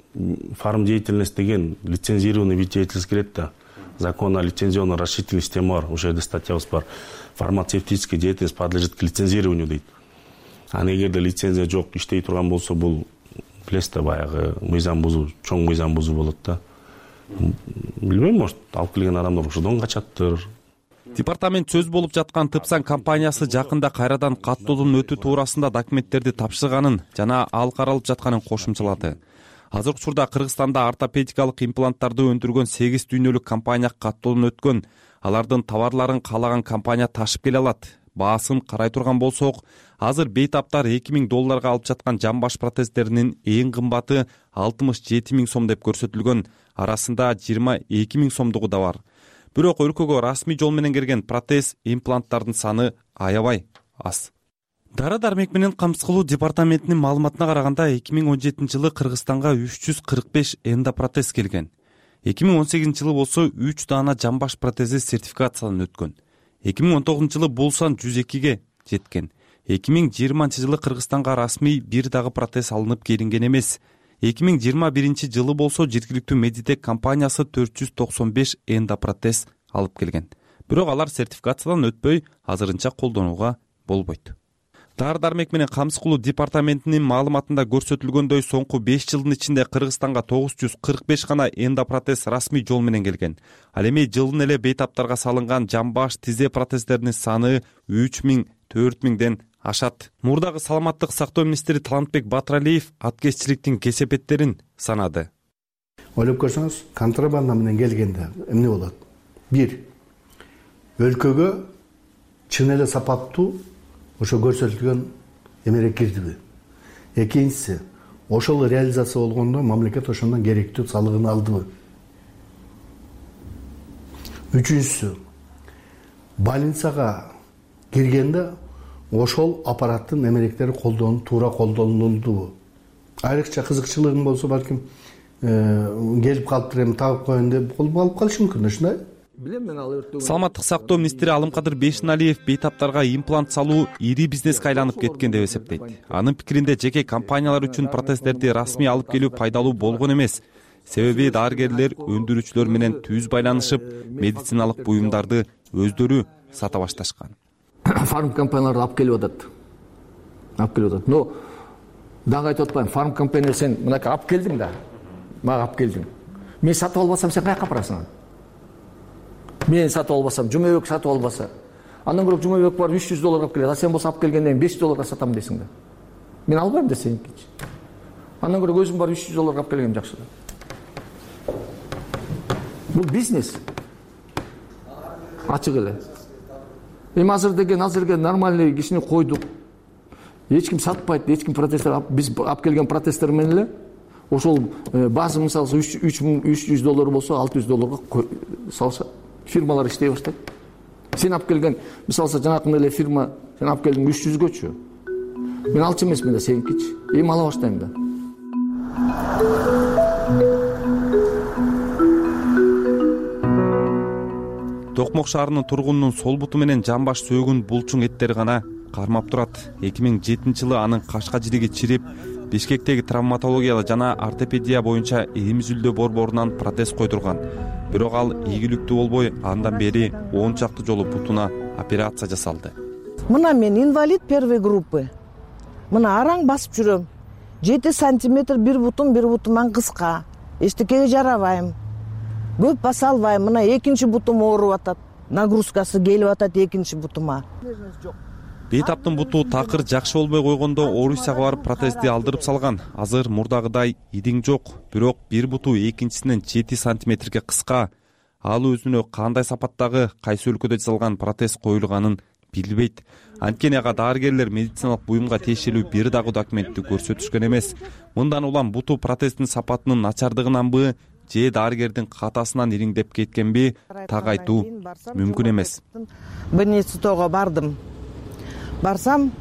фарм деятельность деген лицензированный вид деятельности келет да. Закон о лицензионно расширительной системе бар, ошол жерде статьябыз бар. Фармацевтическая деятельность подлежит к лицензированию дейт. А эгерде лицензия жок, иштей турган болсо, бул билесиз да, баягы мыйзам бузуу, чоң мыйзам бузуу болот да. Билбейм, может, алып келген адамдар ошодон качаттыр. Департамент сөз болуп жаткан Типсан компаниясы жакында кайрадан каттоодон өтүү туурасында документтерди тапшырганын жана ал каралып жатканын кошумчалады. Азыркы учурда Кыргызстанда ортопедикалык импланттарды өндүргөн 8 дүйнөлүк компания каттоодон өткөн. Алардын товарларын каалаган компания ташып келе алат. Баасын карай турган болсок, азыр бейтаптар $2,000 алып жаткан жамбаш протездеринин эң кымбаты 67 000 сом деп көрсөтүлгөн. Арасында 22 000 сомдугу да бар. Бирок өлкөгө расмий жол менен келген протез импланттардын саны аябай аз. Дары-дармек менен камсыз кылуу департаментинин маалыматына караганда 2017 жылы Кыргызстанга 345 эндопротез келген. 2018 жылы болсо 3 даана жамбаш протези сертификациядан өткөн. 2019 жылы бул сан 102ге жеткен. 2020 жылы Кыргызстанга расмий бир дагы протез алынып келинген эмес. 2021 жылы болсо жергиликтүү Meditech компаниясы 495 эндопротез алып келген. Бирок алар сертификациядан өтпөй, азырынча колдонууга болбойт. Дары-дармек менен камсыз кылуу департаментинин маалыматында көрсөтүлгөндөй, соңку 5 жылдын ичинде Кыргызстанга 945 гана эндопротез расмий жол менен келген. Ал эми жылдын эле бейтаптарга салынган жамбаш, тизе протездеринин саны 3000, 4000ден ашат. Мурдагы саламаттык сактоо министри Талантбек Батыралиев аткезчиликтин кесепеттерин санады. Ойлоп көрсөңүз, контрабанда менен келгенде эмне болот? 1. Өлкөгө чын эле сапаттуу ошо көрсөтүлгөн эмерек кирдиби? Экинчиси, ошол реализация болгондо мамлекет ошондон керектүү салыгын алдыбы? Үчүнчүсү, больницага киргенде ошол аппараттын эмеректери туура колдонулдубу? Айрыкча кызыкчылыгың болсо, балким келип калыптыр, эми табып коеюн деп алып калышы мүмкүн, ушундай. Саламаттык сактоо министри Алымкадыр Бейшеналиев бейтаптарга имплант салуу ири бизнеске айланып кеткен деп эсептейт. Анын пикиринде жеке компаниялар үчүн протездерди расмий алып келүү пайдалуу болгон эмес. Себеби дарыгерлер өндүрүүчүлөр менен түз байланышып, медициналык буюмдарды өздөрү сата башташкан. Фарм компанияларды алып келип атат. Но дагы айтып атпайм, фарм компания сен мынакей алып келдиң да, мага алып келдиң. Мен сатып албасам сен каяка апарасың? Мен сатып албасам, Жумабек сатып албаса, андан көрө Жумабек бар $300 алып келет, а сен болсо алып келгенден $500 сатам десиң да. Мен албайм десеңчи. Андан көрө өзүм бар $300 алып келгем жакшы да. Бул бизнес. Ачык эле. Эми азырге нормальный кишини койдук. Эч ким сатпайт, эч ким протесттер, биз алып келген протесттер менен эле ошол база мисалы $300 болсо $600 салса фирмалар иштей баштайт. Сен алып келген мисалы жанакындай эле фирма сен алып келдиң 300гөчү. Мен алчу эмесмин да, сеникичи. Эми ала баштайм да. Токмок шаарынын тургунунун сол буту менен жамбаш сөөгүн булчуң эттери гана кармап турат. 2007-жылы анын кашка жириги чирип, Бишкектеги травматология жана ортопедия боюнча эмизилдөө борборунан протез койдурган. Бирок ал ийгиликтүү болбой, андан бери 10 чакты жолу бутуна операция жасалды. Мына мен инвалид первой группы. Мына араң басып жүрөм. 7 сантиметр бир бутуман кыска. Эчтекеге жарабайм. Көп баса албайм. Мына экинчи бутум ооруп атат. Нагрузкасы келип атат экинчи бутума. Бейтаптын буту такыр жакшы болбой койгондо Орусияга барып протезди алдырып салган. Азыр мурдагыдай идиң жок, бирок бир буту экинчисинен 7 сантиметрге кыска. Ал өзүнө кандай сапаттагы, кайсы өлкөдө жасалган протез коюлганын билбейт. Анткени ага дарыгерлер медициналык буюмга тиешелүү бир дагы документти көрсөтүшкөн эмес. Мындан улам буту протездин сапатынын начардыгынанбы, же дарыгердин катасынан ириңдеп кеткенби, так айтуу мүмкүн эмес. Больницага бардым. Барсам,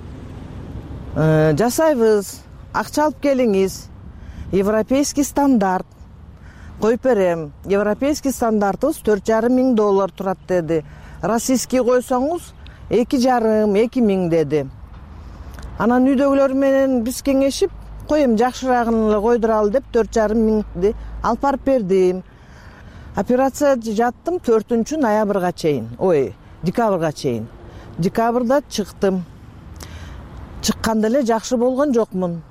жасайбыз, акча алып келиңиз, европейский стандарт коюп берем. Европейский стандартыбыз $4,500 турат деди. Российский койсоңуз 2,5-2 миң деди. Анан үйдөгүлөр менен биз кеңешип, коем жакшыраагын эле койдуралы деп 4,5 миңди алып барып бердим. Операция жаттым 4 ноябрга чейин, декабрга чейин. Декабрда чыктым. Чыкканда эле жакшы болгон жокмун.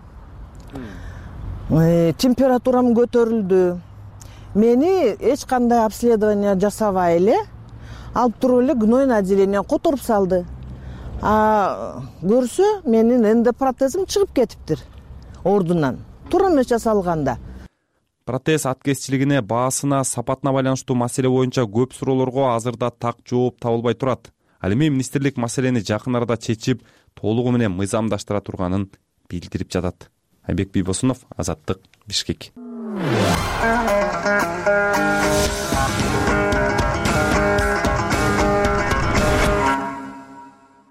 Температурам көтөрүлдү. Мени эч кандай обследование жасабай эле алып туруп эле гнойный отделение которуп салды. Көрсө менин эндопротезим чыгып кетиптир ордунан. Туура эмес жасалганда. Протез аткезчилигине, баасына, сапатына байланыштуу маселе боюнча көп суроолорго азырда так жооп табылбай турат. Ал эми министрлик маселени жакын арада чечип, толугу менен мыйзамдаштыра турганын билдирип жатат. Айбек Бийбосунов, Азаттык, Бишкек.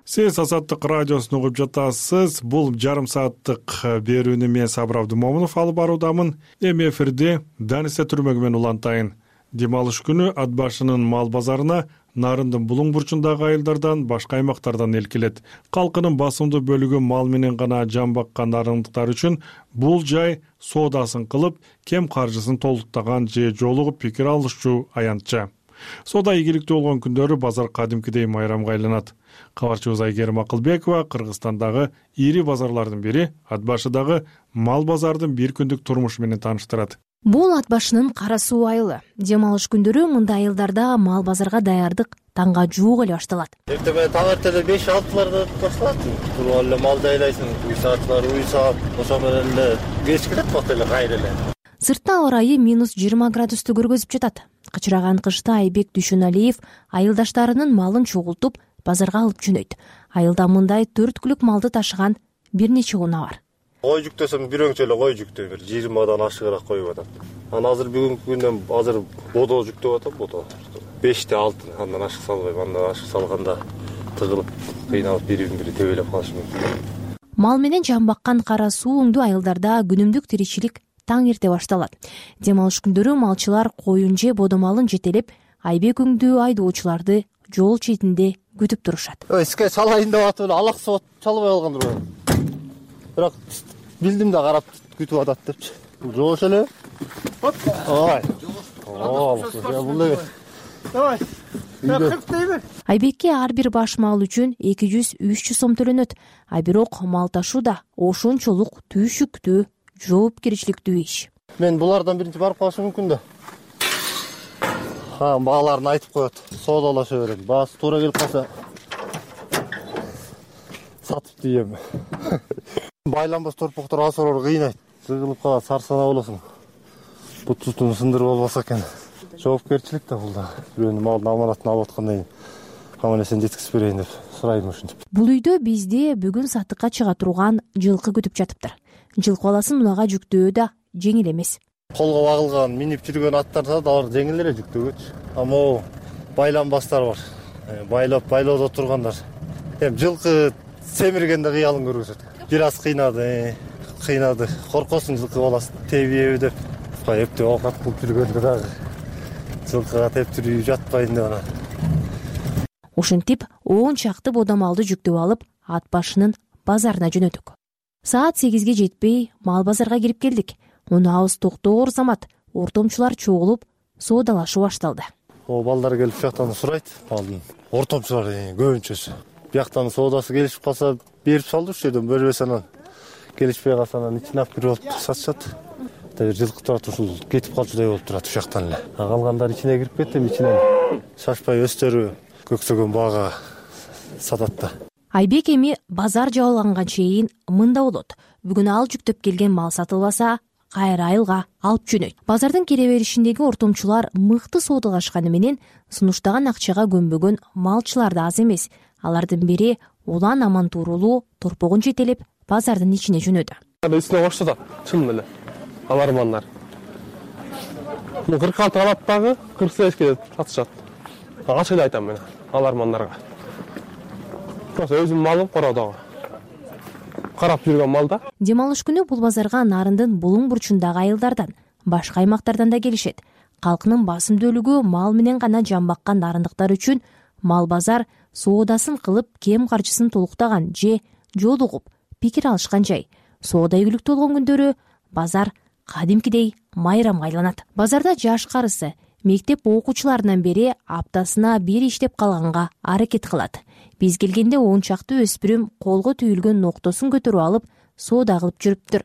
Сиз Азаттык радиосун угуп жатасыз. Бул жарым сааттык берүүнү мен Сабыр Абдымомунов алып баруудамын. Эми эфирде Данисе түрмөгү менен улантайын. Дем алыш күнү ат башынын мал базарына Нарындын булуң бурчундагы айылдардан, башка аймактардан эл келет. Калкынын басымдуу бөлүгү мал менен гана жан баккан нарындыктар үчүн бул жай соодасын кылып, кем каржысын толуктаган же жолугуп пикир алышчу аянтча. Соода ийгиликтүү болгон күндөрү базар кадимкидей майрамга айланат. Кабарчыбыз Айгерим Акылбекова Кыргызстандагы ири базарлардын бири ат башыдагы мал базардын бир күндүк турмушу менен тааныштырат. Бул ат башынын Кара суу айылы. Дем алыш күндөрү мындай айылдарда мал базарга даярдык таңга жуук эле башталат. Эртең таң эртеле 5-6 башталат. Туруп эле малды айлайсың, уй сааттар, ошо менен эле кеч келет бат эле кайра эле. Сыртта ауа ырайы -20 градусту көргөзүп жатат. Кычыраган кышта Айбек Дүйшөналиев айылдаштарынын малын чогултуп базарга алып жөнөйт. Айылда мындай 4 күлүк малды ташыган бир нече унаа бар. Кой жүктөсөм бир өңчө эле кой жүктөйм, 20дан ашыгыраак коюп атат. Анан азыр бүгүнкү күндөн азыр бодо жүктөп атам, бодо. 5-6, андан ашык салбайм, андан ашык салганда тыгылып, кыйналып бири-бири тебелеп калышы мүмкүн. Мал менен жан баккан Кара суу оңдуу айылдарда күнүмдүк тиричилик таң эрте башталат. Дем алыш күндөрү малчылар коюн же бодо малын жетелеп, Айбек өңдүү айдоочуларды жол четинде күтүп турушат. Иске салайын деп атып эле алаксып чалбай калгандыр. Бирок билдим да карап күтүп атат депчи. Жош эле. Ой. Бул Давай. Айбекке ар бир баш мал үчүн 200-300 сом төлөнөт. Бирок мал ташуу да ошончолук түйшүктүү, жоопкерчиликтүү иш. Мен булардан биринчи барып калышым мүмкүн да. Бааларын айтып коет. Соодалаша берем. Баасы туура келип калса сатып дейм. Байланбас торпоктор асыроор кыйнайт. Сыгылып калат, сарсана болосуң. Бутутун сындырып албаса экен. Жоопкерчилик да бул да. Бирөөнүн малдын аманатын алып аткандай аман-эсен жеткизип берейин деп сурайм ушинтип. Бул үйдө бизде бүгүн сатыкка чыга турган жылкы күтүп жатыптыр. Жылкы баласын унага жүктөө да жеңил эмес. Колго багылган, минип жүргөн аттар да алар жеңил эле жүктөгөчү. А могу байланбастар бар. Байлоодо тургандар. Эми жылкы семиргенде кыялын көргөзөт. Бир аз кыйнады. Коркосуң жылкы баласын тебиеби деп. Эптеп оокат кылып жүргөндө дагы жылкыга тептирүү жатпайын деп анан. Ушинтип 10 чакты бодомалды жүктөп алып, ат башынын базарына жөнөдүк. Саат 8ге жетпей мал базарга кирип келдик. Унаабыз токтоор замат, ортомчулар чогулуп, соодалашуу башталды. Балдар келип жактан сурайт, балдын ортомчулар көбүнчөсү. Бияктан соодасы келишип калса берип салды, уш жерден бербесе анан келишпей калса анан ичине алып кирип алып сатышат. Бир жылкы турат, ушул кетип калчудай болуп турат уш жактан эле. Калгандар ичине кирип кетти, ичинен шашпай өстөрү көксөгөн баага сатат да. Айбек эми базар жабылганга чейин мында болот. Бүгүн ал жүктөп келген мал сатылбаса, кайра айылга алып жөнөйт. Базардын кире беришиндеги ортомчулар мыкты соодалашканы менен сунуштаган акчага көнбөгөн малчылар да аз эмес. Алардын бири улан аман туурулуу торпогун жетелеп базардын ичине жөнөдү. Үстүнө баштадат, чын эле. Алармандар. 46 алат дагы 48ке сатышат. Ачык эле айтам мен алармандарга. Просто өзүм малым кородогу. Карап жүргөн малда. Дем алыш күнү бул базарга Нарындын булуң бурчундагы айылдардан, башка аймактардан да келишет. Калкынын басымдүүлүгү мал менен гана жан баккан нарындыктар үчүн мал базар соодасын кылып, кем каржысын толуктаган же жолугуп пикир алышкан жай. Соода ийгиликтүү болгон күндөрү базар кадимкидей майрамга айланат. Базарда жаш карысы мектеп окуучуларынан бери аптасына бир иштеп калганга аракет кылат. Биз келгенде 10 чакты өспүрүм колго түйүлгөн ноктосун көтөрүп алып, соода кылып жүрүптүр.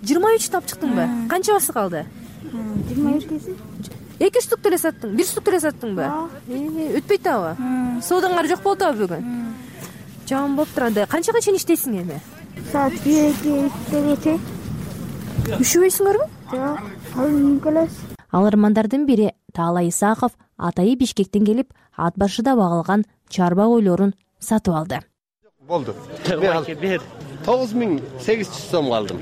23 таап чыктыңбы? Канча басы калды? 22. 2 штук деле саттың, 1 штук деле саттыңбы? Өтпөйт абы. Соодаңар жок болду абы бүгүн? Жаман болуптур анда. Канчага чейин иштейсиң эми? Саат 2-3-кече. Үшүбөйсүңөрбү? Жок, ал келес. Алармандардын бири Таалай Исаков атайы Бишкектен келип, ат башыда багылган чарба койлорун сатып алды. Болду. Бер 9800 сом алдым.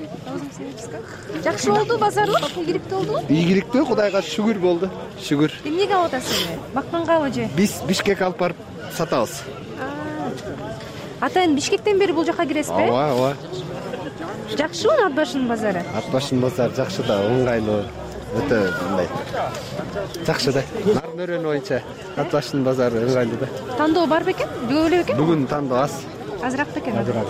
Жакшы болду базарлык, ийгиликтүү болдубу? Ийгиликтүү, Кудайга шүгүр болду. Шүгүр. Эмнеге алып атасың? Баккангабы же? Биз Бишкекке алып барып сатабыз. Атайын Бишкектен бери бул жака киресизби? Ооба. Жакшыбы ат башынын базары? Ат башынын базары жакшы да, ыңгайлуу. Өтө мындай. Жакшы да. Нарын өрөнү боюнча ат башынын базары ыңгайлуу да. Тандоо бар бекен? Бүгүн эле бекен? Бүгүн тандоо аз. Азыраак бекен? Азыраак.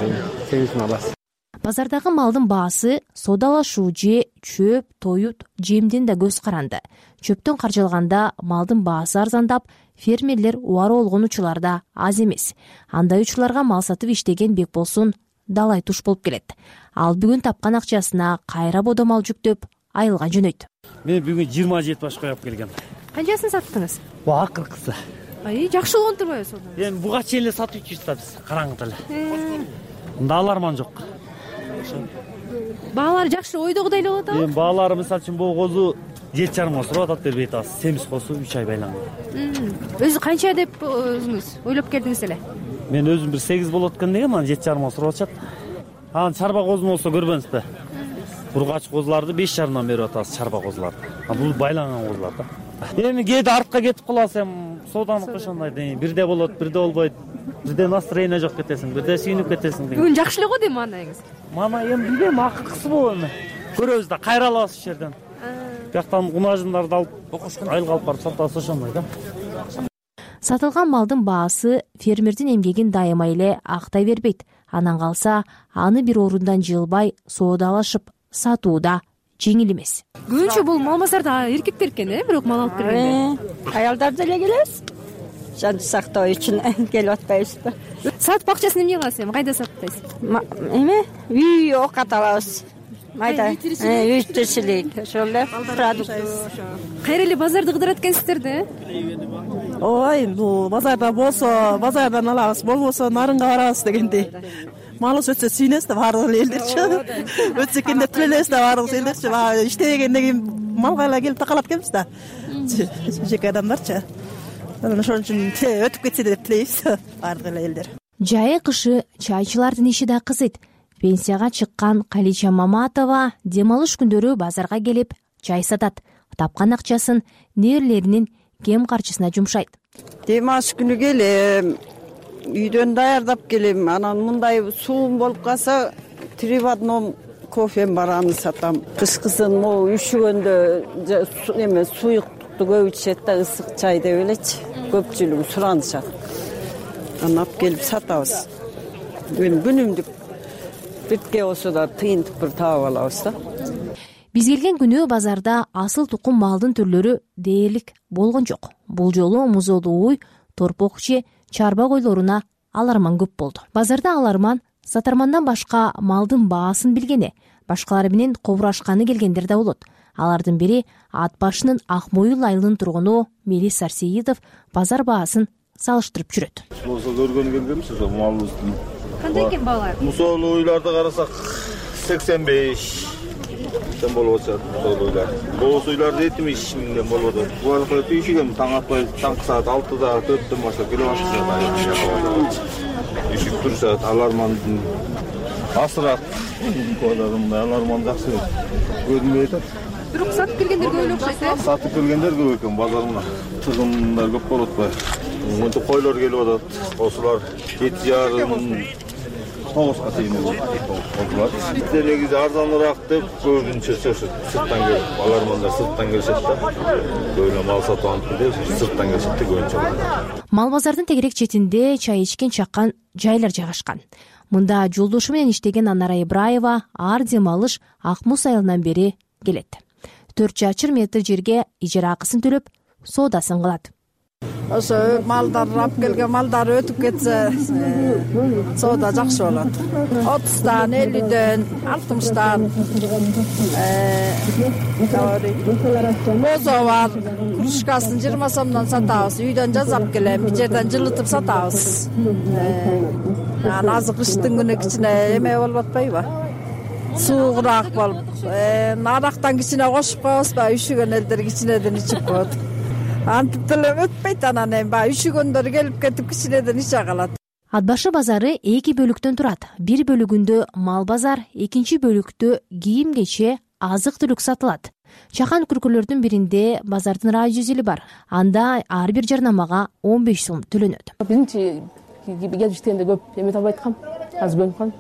8 аласыз. Базардагы малдын баасы соодалашуу же чөп, тоют, жемден да көз каранды. Чөптөн каржалганда малдын баасы арзандап, фермерлер убары болгон учурлар да аз эмес. Андай учурларга мал сатып иштеген Бекболсун далай туш болуп келет. Ал бүгүн тапкан акчасына кайра бодомал жүктөп айылга жөнөйт. Мен бүгүн 27 баш коюп келгем. Канчасын саттыңыз? Бу акыркысы. Жакшы болгон турбайбы соода? Эми буга чейин эле сатып жүрсүз, караңгы эле. Мында аларман жок. Баалары жакшы ойдогудай эле болот абы? Эми баалары мисалы үчүн бул козу 7,5 сурап атат, бербей атабыз. Семиз козу 3 ай байланган. Өзү канча деп өзүңүз ойлоп келдиңиз эле? Мен өзүм бир 8 болот экен дегем, анан 7,5 сурап атышат. Анан чарба козу болсо көрбөңүзбү? Бургач козуларды 5,5-дан берип атабыз, чарба козуларды. Бул байланган козулар да. Эми кээде артка кетип каласың, сооданыкы ошондой бирде болот, бирде болбойт. Бирде настроение жок кетесиң, бирде сүйүнүп кетесиң. Бүгүн жакшы эле го дейм манайыңыз. Мана эми билбейм, акыркысы болот эми. Көрөбүз да, кайра алабыз ушул жерден. Бияктан унажындарды алып, айылга алып барып сатабыз ошондой да. Сатылган малдын баасы фермердин эмгегин дайыма эле актай бербейт. Анан калса, аны бир орундан жылбай соодалашып сатууда жеңил эмес. Көбүнчө бул мал базарда эркектер экен, бирок мал алып келгенде. Аялдар деле келебиз. Жан сактоо үчүн келип атпайбызбы? Сатып акчасын эмне кыласыз эми? Кайда сатпайсыз? Эме? Үй оокат алабыз. Майда үй тиричилик, ошол эле продукт. Кайра эле базарды кыдырат экенсиздер да? Ой, бул базарда болсо базардан алабыз, болбосо нарынга барабыз дегендей. Малыбыз өтсө сүйүнөбүз да баардык эле элдерчи. Өтсө экен деп тилелебиз да баардык элдерчи. Иштебегенден кийин малга эле келип такалат экенбиз да. Жеке адамдарчы. ошон үчүн өтүп кетсе деп тилейбиз баардык эле элдер. Жайы кышы чайчылардын иши да кызыйт. Пенсияга чыккан Калича Маматова дем алыш күндөрү базарга келип чай сатат. Тапкан акчасын нээрлеринин кем карчысына жумшайт. Дем алыш күнү келем, үйдөн даярдап келем. Анан мындай суум болуп калса, 3 в 1 кофем бар, аны сатам. Кышкысын могу üşүгөндө эме суюктукту көп ичет да, ысык чай деп элечи. Көпчүлүгү суранышат. Аны алып келип сатабыз. Күнүмдүк битке болсо да тыйынтып бир таап алабыз да. Биз келген күнү базарда асыл тукум малдын түрлөрү дээрлик болгон жок. Бул жолу музоолуу уй, торпок же чарба койлоруна аларман көп болду. Базарда аларман сатармандан башка малдын баасын билгени, башкалары менен кобурашканы келгендер да болот. Алардын бири Ат башынын Ак Моюл айылынын тургуну Мелис Сарсеидов базар баасын салыштырып жүрөт. Болсо көргөнү келгенбиз малыбыздын. Кандай экен баалар? Мусоолуу уйларды карасак 85 сен болуп атат. Мусоолуулар. Боз уйларды 70 миңден болуп атат. Буга түйшүгөн таң атпай, таңкы саат 6-да 4-төн баштап келип башташат. Ишик турушат, алармандын асырат. Аларман жакшы көрүнбөй атат. Бирок сатып келгендер көп окшойт. Сатып келгендер көп экен, базарына тыгындар көп болуп атпайбы? Мынтип койлор келип атат. Осулар 7,5 9га чейин болот. Биздер негизи арзаныраак деп көбүнчө сырттан келип, алармандар сырттан келишет да. Көбүнө мал сатып алып деп сырттан келишет да көбүнчө. Мал базардын тегерек четинде чай ичкен чаккан жайлар жайгашкан. Мында жолдошу менен иштеген Анара Ибраева ар дем алыш Ак Муз айылынан бери келет. 4 метр жерге ижара акысын төлөп, соодасын кылат. Ошо малдар алып келген малдар өтүп кетсе, соода жакшы болот. 30-дан, 50-ден, 60-дан. Бозо бар, кружкасын 20 сомдон сатабыз. Үйдөн жазап келем, бир жерден жылытып сатабыз. Анан азыр кыштын күнү кичине эме болуп атпайбы? Суугураак болуп, арактан кичине кошуп коебузбу? Üşүгөн элдер кичинеден ичип коет. Антип деле өтпөйт, анан эми баягы üşүгөндөр келип кетип кичинеден иче калат. Ат башы базары 2 бөлүктөн турат. Бир бөлүгүндө мал базар, экинчи бөлүктө кийим кече, азык түлүк сатылат. Чакан күркөлөрдүн биринде базардын радио бар. Анда ар бир жарнамага 15 сом төлөнөт. Биринчи келип иштегенде көп эме табай аткам. Азыр бөлүнүп калдым.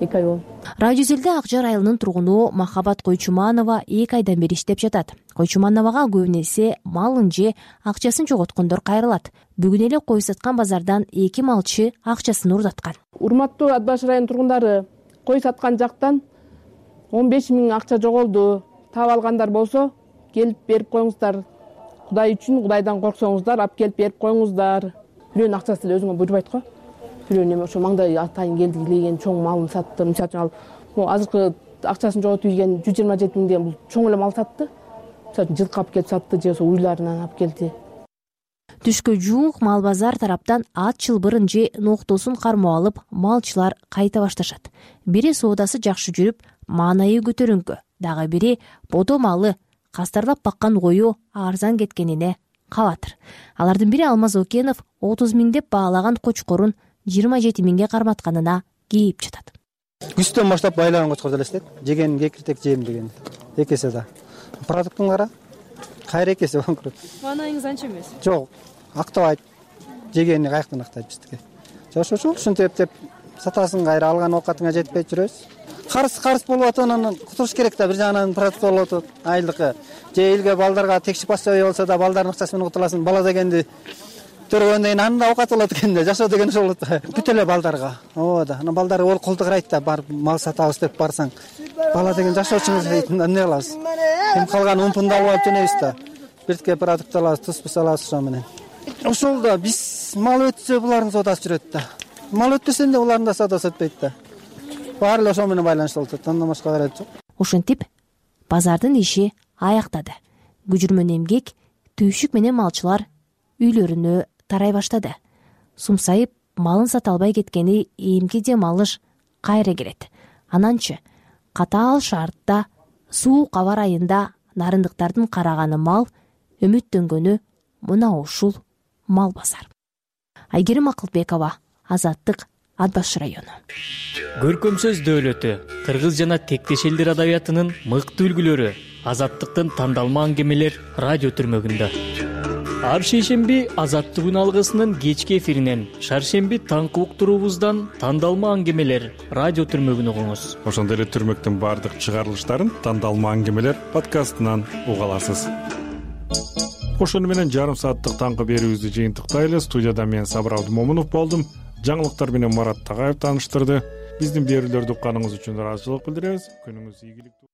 2 ай болду. Радиозелде Акжар айылынын тургуну Махабат Койчуманова 2 айдан бери иштеп жатат. Койчумановага көбүнесе малын же акчасын жоготкондор кайрылат. Бүгүн эле кой саткан базардан 2 малчы акчасын урдаткан. Урматтуу Ат башы районунун тургундары, кой саткан жактан 15 000 акча жоголду. Таап алгандар болсо, келип берип коюңуздар. Кудай үчүн, Кудайдан корксоңуздар, алып келип берип коюңуздар. Бирөөнүн акчасы эле өзүңө буйрубайт го. Бирөөнү ошо маңдай атайын келди илеген чоң малын сатты. Мисалы үчүн ал азыркы акчасын жоготуп ийген 127 миңден бул чоң эле мал сатты. Мисалы үчүн жылкы алып келип сатты же ошо уйларынан алып келди. Түшкө жуук мал базар тараптан ат чылбырын же ноктосун кармап алып, малчылар кайта башташат. Бири соодасы жакшы жүрүп, маанайы көтөрүнгө, дагы бири бодо малы кастарлап баккан кою арзан кеткенине кабатыр. Алардын бири Алмаз Окенов 30 000 деп баалаган кочкорун 27 000ге карматканына кейип жатат. Күздөн баштап байлаган кочкор элестет. Жеген кекиртек жем деген. Экесе да. Продуктун кара кайра экесе болуп турат. Маанайыңыз анча эмес. Жок, актабайт. Жегени каяктан актайт биздики. Ошо ушинтип деп сатасын кайра алган оокатыңа жетпей жүрөбүз. Карыс болуп атат, анан кутуруш керек да, бир жагынан продукт болуп атат. Айлыкы же элге балдарга текшип басчабай болсо да балдардын акчасы менен кутуласың. Бала дегенди төрөгөндөн кийин анда оокат болот экен да, жашоо деген ошол болот. Бүт эле балдарга. Ооба. Анан балдар ол колду карайт да, барып мал сатабыз деп барсаң. Бала деген жашоочуңуз дейт, эмне кылабыз? Эми калган умпунду алып алып жөнөйбүз да. Биртке продукт алабыз, туз алабыз ошо менен. Ошол да биз мал өтсө булардын соодасы жүрөт да. Мал өтпөсө да булардын да соодасы өтпөйт да. Баары эле ошо менен байланыштуу болуп атат. Андан башка карайт жок. Ушинтип базардын иши аяктады. Күжүрмөн эмгек, түйшүк менен малчылар үйлөрүнө тарай баштады. Сумсайып, малын сата албай кеткени эмки дем алыш кайра келет. Ананчы катаал шартта суук аба ырайында нарындыктардын караганы мал, үмүттөнгөнү мына ушул Мал базар. Айгерим Акылбекова, Азаттык, Ат Баш району. Көркөм сөз дөөлөтү, кыргыз жана тектеш элдер адабиятынын мыкты үлгүлөрү, Азаттыктын тандалма аңгемелер радио түрмөгүндө. Ар шейшемби Азаттык күн алгысынын кечки эфиринен, шаршемби таңкы уктуруубуздан тандалма аңгемелер радио түрмөгүн угуңуз. Ошондой эле түрмөктүн баардык чыгарылыштарын тандалма аңгемелер подкастынан уга аласыз. Ошону менен жарым сааттык таңкы берүүбүздү жыйынтыктайлы. Студияда мен Сабыр Абдымомунов болдум. Жаңылыктар менен Марат Тагаев тааныштырды. Биздин берүүлөрдү укканыңыз үчүн ыраазычылык билдиребиз. Күнүңүз ийгиликтүү.